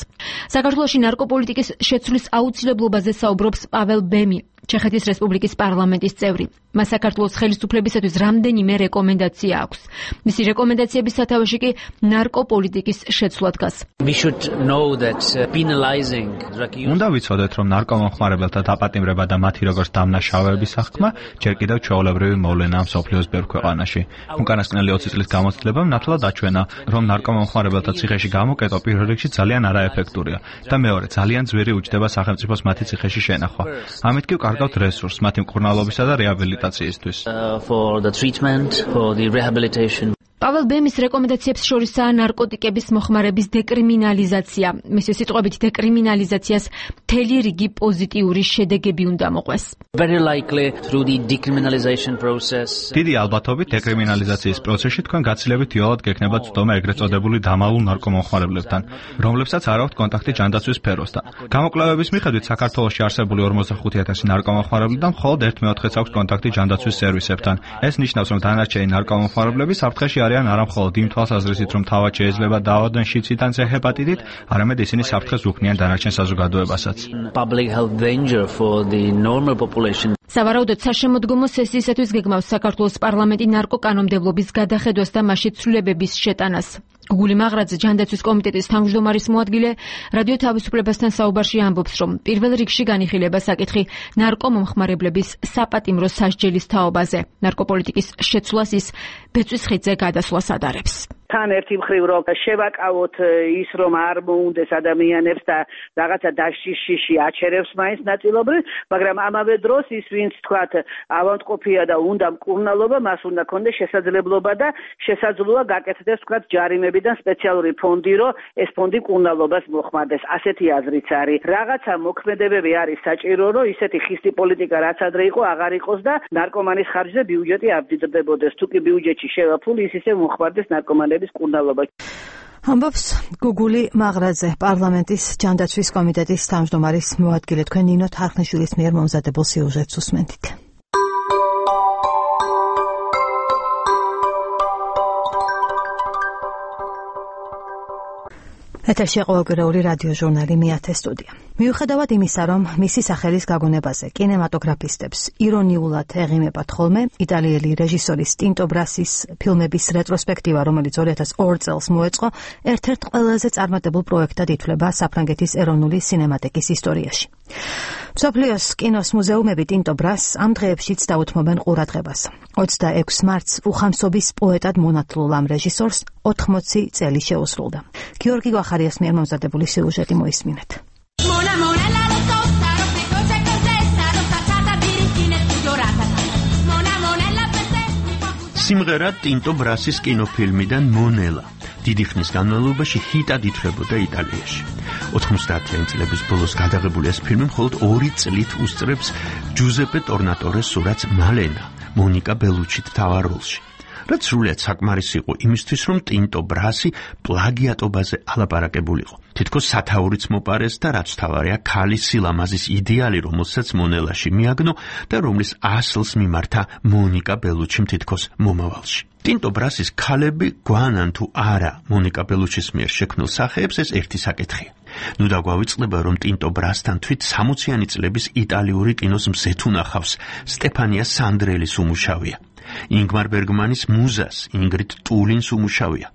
საქართველოში ნარკოპოლიტიკის შეცვლის აუცილებლობაზე საუბრობს პაվել ბემი, ჩეხეთის რესპუბლიკის პარლამენტის წევრი. მას საქართველოს ხელისუფლებისათვის რამდენიმე რეკომენდაცია აქვს. მისი რეკომენდაციების სათავეში კი ნარკოპოლიტიკის შეცვლა დგას. უნდა ვიცოდეთ, რომ ნარკომომხმარებელთა დაპატიმრება და მათი როგორც დამნაშავეების აღქმა ჯერ კიდევ ჩვეულებრივი მოვლენაა მსოფლიოს ბევრ ქვეყანაში. უკანასკნელი ოცი წლის გამოცდილებამ ნათლად აჩვენა, რომ ნარკომომხმარებელთა ციხეში გამოკეტვა პირველ რიგში ძალიან არაეფექტურია და მეორე ძალიან ძვირი უჯდება სახელმწიფოს მათი ციხეში შენახვა. ამით კი კარგავთ რესურსს მათი მკურნალობისა და რეაბილიტაციისთვის. პაվել ბემის რეკომენდაციებს შორისაა ნარკოტიკების მოხმარების დეკრიმინალიზაცია. მისი სიტყვებით, დეკრიმინალიზაციას მთელი რიგი პოზიტიური შედეგები უნდა მოყვეს. დიდი ალბათობით დეკრიმინალიზაციის პროცესში თქვენ გაცილებით იოლად გექნებათ ცდომა ეგრეთ წოდებული დამალულ ნარკომომხმარებლებთან, რომლებსაც არ აქვთ კონტაქტი ჯანდაცვის სფეროსთან. გამოკვლევების მიხედვით საქართველოში არსებული ორმოცდახუთი ათასი ნარკომომხმარებლიდან მხოლოდ ერთ მეოთხედს აქვს კონტაქტი ჯანდაცვის სერვისებთან. ეს ნიშნავს, რომ დანარჩენი ნარკომომხმარებლები საფრთხეში არიან არა მხოლოდ იმ თვალსაზრისით, რომ თავად შეიძლება დაავადდნენ შიდსით ან ჰეპატიტით, არამედ ისინი საფრთხეს უქმნიან დანარჩენ საზოგადოებასაც. სავარაუდოდ საშემოდგომო სესიისათვის გეგმავს საქართველოს პარლამენტი ნარკოკანონმდებლობის გადახედვას და მასში ცვლილებების შეტანას. გუგული მაღრაძე, ჯანდაცვის კომიტეტის თავმჯდომარის მოადგილე, რადიო თავისუფლებასთან საუბარში ამბობს, რომ პირველ რიგში განიხილება საკითხი ნარკომომხმარებლების საპატიმრო სასჯელის თაობაზე. ნარკოპოლიტიკის შეცვლას ის ბეწვის ხიდზე გადასვლას ადარებს. თან ერთი მხრივ რომ შევაკავოთ ის რომ არ მოუნდეს ადამიანებს და რაღაცა დაშიში აჩერებს მაინც ნაწილობრივ, მაგრამ ამავე დროს ის ვინც თქვათ ავადმყოფია და უნდა მკურნალობა, მას უნდა კონდეს შესაძლებლობა და შესაძლოა გაკეთდეს თქვათ ჯარიმებიდან სპეციალური ფონდი, რომ ეს ფონდი მკურნალობას მოხმარდეს. ასეთი აზრიც არის. რაღაცა მოქმედებები არის საჭირო, რომ ისეთი ხისტი პოლიტიკა რაც ადრე იყო აღარ იყოს და ნარკომანის ხარჯზე ბიუჯეტი არ მდიდრდებოდეს. თუ კი ბიუჯეტში შევა ფული, ის ისე მოხმარდეს ნარკომანების კურნალობა. ამბობს გუგული მაღრაძე, პარლამენტის ჯანდაცვის კომიტეტის თავმჯდომარის მოადგილე. თქვენ ნინო თარხნიშვილის მიერ მომზადებულ სიუჟეტს უსმენთ. ეთერში ყოველკვირეული რადიო ჟურნალი მეათე სტუდია. მიუხედავად იმისა, რომ მისი სახელის გაგონებაზე კინემატოგრაფისტებს ირონიულად ეღიმებათ ხოლმე იტალიელი რეჟისორის ტინტო ბრასის ფილმების რეტროსპექტივა, რომელიც ორი ათას ორ წელს მოეწყო, ერთ-ერთ ყველაზე წარმატებულ პროექტად ითვლება საფრანგეთის ეროვნული სინემატიკის ისტორიაში. მსოფლიოს კინოს მუზეუმები ტინტო ბრასს ამ დღეებშიც დაუთმობენ ყურადღებას. ოცდაექვს მარტს უხამსობის პოეტად მონათლულ ამ რეჟისორს ოთხმოცი წელი შეუსრულდა. გიორგი გვახარიას მიერ მომზადებული სიუჟეტი მოისმინეთ. სიმღერა ტინტო ბრასის კინოფილმიდან მონელა დიდი ხნის განმავლობაში ჰიტად ითვლებოდა იტალიაში. ოთხმოცდაათიანი წლების ბოლოს გადაღებული ეს ფილმი მხოლოდ ორი წლით უსწრებს ჯუზეპე ტორნატორეს სურათს მალენა, მონიკა ბელუჩით მთავარ როლში. რაც სრულიად საკმარისი იყო იმისთვის, რომ ტინტო ბრასი პლაგიატობაზე ალაპარაკებულიყო. თითქოს სათაურიც მოპარეს და რაც თავარია ქალის სილამაზის იდეალი, რომელსაც მონელაში მიაგნო და რომლის ასლს მიმართა მონიკა ბელუჩიმ თითქოს მომავალში. ტინტო ბრასის ქალები გვანან თუ არა მონიკა ბელუჩის მიერ შექმნილ სახეებს, ეს ერთი საკითხია. ნუ დაგვავიწყდება, რომ ტინტო ბრასთან თვით სამოციანი წლების იტალიური კინოს მზეთ უნახავს სტეფანია სანდრელის უმუშავია. ინგმარ ბერგმანის მუზას ინგრიდ ტულინს უმუშავია.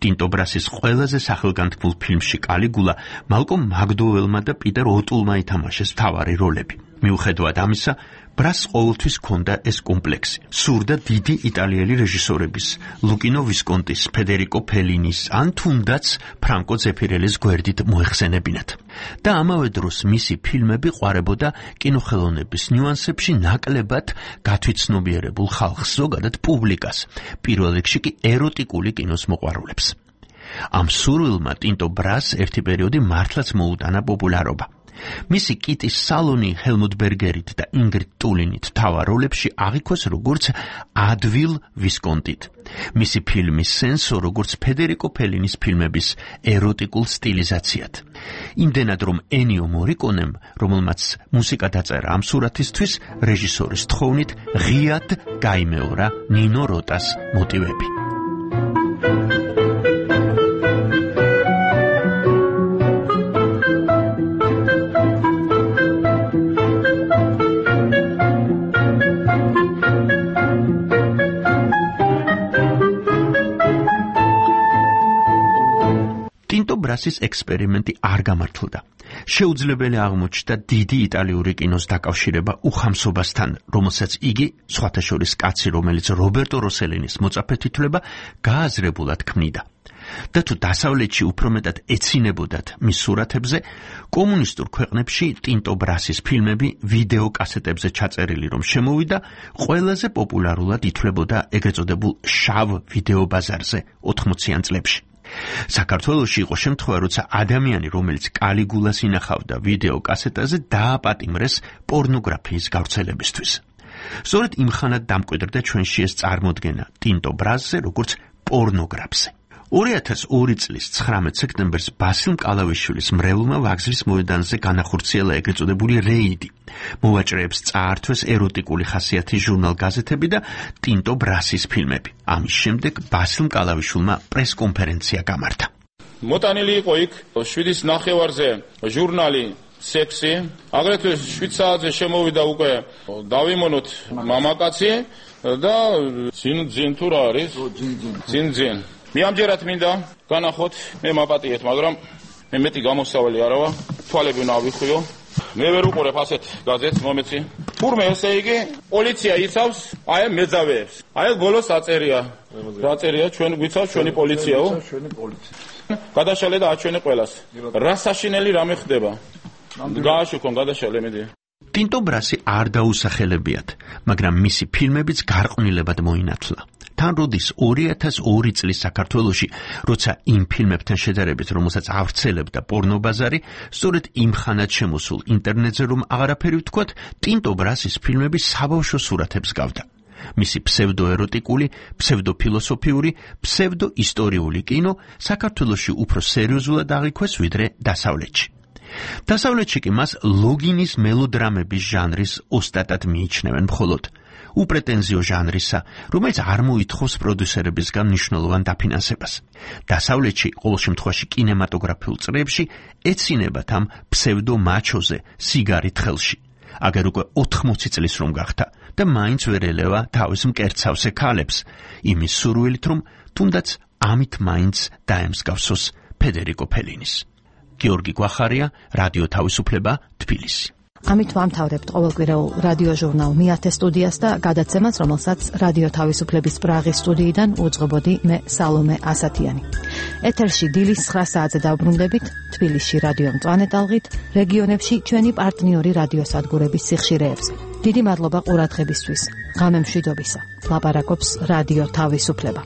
ტინტო ბრასის ყველაზე სახელგანთქმულ ფილმში კალიგულა მალკომ მაგდოველმა და პიტერ ოტულმა ითამაშეს მთავარი როლები. მიუხედავად ამისა, ბრასს ყოველთვის ჰქონდა ეს კომპლექსი. სურდა დიდი იტალიელი რეჟისორების, ლუკინო ვისკონტის, ფედერიკო ფელინის ან თუნდაც ფრანკო ზეფირელის გვერდით მოეხსენებინათ. და ამავე დროს მისი ფილმები ყვარებოდა კინოხელოვნების ნიუანსებში ნაკლებად გათვითცნობიერებულ ხალხს, ზოგადად პუბლიკას, პირველ რიგში კი ეროტიკული კინოს მოყვარულებს. ამ სურვილმა ტინტო ბრასს ერთი პერიოდი მართლაც მოუტანა პოპულარობა. მისი კიტის სალონი ჰელმუტ ბერგერით და ინგრიდ ტულინით მთავარ როლებში აღიქვეს როგორც ადვილ ვისკონტით. მისი ფილმის სენსო როგორც ფედერიკო ფელინის ფილმების ეროტიკულ სტილიზაციად. იმდენად რომ ენიო მორიკონემ, რომელმაც მუსიკა დაწერა ამ სურათისთვის, რეჟისორის თხოვნით ღიად გაიმეორა ნინო როტას მოტივები. ტინტო ბრასის ექსპერიმენტი არ გამართლდა. შეუძლებელი აღმოჩნდა დიდი იტალიური კინოს დაკავშირება უხამსობასთან, რომელსაც იგი, სხვათა შორის კაცი, რომელიც რობერტო როსელინის მოწაფედ ითვლება, გააზრებულად ქმნიდა. და თუ დასავლეთში უფრო მეტად ეცინებოდათ მის სურათებზე, კომუნისტურ ქვეყნებში ტინტო ბრასის ფილმები ვიდეო კასეტებზე ჩაწერილი რომ შემოვიდა, ყველაზე პოპულარულად ითვლებოდა ეგრეთ წოდებულ შავ ვიდეო ბაზარზე ოთხმოციან წლებში. საქართველოში იყო შემთხვევა, როცა ადამიანი, რომელიც კალიგულას ინახავდა ვიდეო კასეტაზე, დააპატიმრეს პორნოგრაფიის გავრცელებისთვის. სწორედ იმ ხანად დამკვიდრდა ჩვენში ეს წარმოდგენა ტინტო ბრასზე როგორც პორნოგრაფზე. ორი ათას ორი წლის ცხრამეტ სექტემბერს ბასილ მკალავიშვილის მრევლმა ვაგზლის მოედანზე განახორციელა ეგრეთ წოდებული რეიდი. მოვაჭრეებს წაართვეს ეროტიკული ხასიათის ჟურნალ-გაზეთები და ტინტო ბრასის ფილმები. ამის შემდეგ ბასილ მკალავიშვილმა პრესკონფერენცია გამართა. მოტანილი იყო იქ შვიდის ნახევარზე ჟურნალი სექსი, აგრეთვე შვიდ საათზე შემოვიდა უკვე დავიმონოთ მამაკაცი და ძინ ძინ თუ რა არის? ძინ ძინ. მე ამჯერად მინდა განახოთ, მე მაპატიეთ, მაგრამ მე მეტი გამოსავალი არა ვარ, თვალები უნდა ავიხიო. მე ვერ უყურებ ასეთ გაზეთს, მომეცი. თურმე ესე იგი პოლიცია იცავს აი ამ მეძავეებს. აი ბოლოს აწერია. რა წერია ჩვენ გვიცავს ჩვენი პოლიციაო? ჩვენი პოლიცია. გადაშალე და აჩვენე ყველას. რა საშინელი რამე ხდება? გააშუქონ გადაშალე მედი. ტინტო ბრასი არ დაუსახელებიათ, მაგრამ მისი ფილმებიც გარყვნილებად მოინათლა. თან როდის ორი ათას ორი წლის საქართველოში, როცა იმ ფილმებთან შედარებით, რომელსაც ავრცელებდა პორნობაზარი, სწორედ იმ ხანად შემოსულ ინტერნეტზე რომ აღარაფერი ვთქვათ, ტინტო ბრასის ფილმები საბავშვო სურათებს გავდა. მისი ფსევდოეროტიკული, ფსევდოფილოსოფიური, ფსევდოისტორიული კინო საქართველოში უფრო სერიოზულად აღიქვეს ვიდრე დასავლეთში. დასავლეთში კი მას ლოგინის მელოდრამების ჟანრის ოსტატად მიიჩნევენ მხოლოდ უპრეტენზიო ჟანრისა, რომელიც არ მოითხოვს პროდიუსერებისგან მნიშვნელოვან დაფინანსებას. დასავლეთში, ყოველ შემთხვევაში კინემატოგრაფიულ წრეებში, ეცინებათ ამ ფსევდო მაჩოზე სიგარით ხელში. აგერ უკვე ოთხმოცი წლის რომ გახდა და მაინც ვერ ელევა თავის მკერცავსე ქალებს, იმის სურვილით რომ თუნდაც ამით მაინც დაემსგავსოს ფედერიკო ფელინის. გიორგი გვახარია, რადიო თავისუფლება, თბილისი. ამით ვამთავრებთ ყოველკვირეულ რადიო ჟურნალ მეათე სტუდიას და გადაცემას, რომელსაც რადიო თავისუფლების პრაღის სტუდიიდან უძღვებოდი მე სალომე ასათიანი. ეთერში დილის ცხრა საათზე დავბრუნდებით თბილისში რადიო მწვანე ტალღით, რეგიონებში ჩვენი პარტნიორი რადიოსადგურების სიხშირეებს. დიდი მადლობა ყურადღებისთვის. ღამე მშვიდობისა. ლაპარაკობს რადიო თავისუფლება.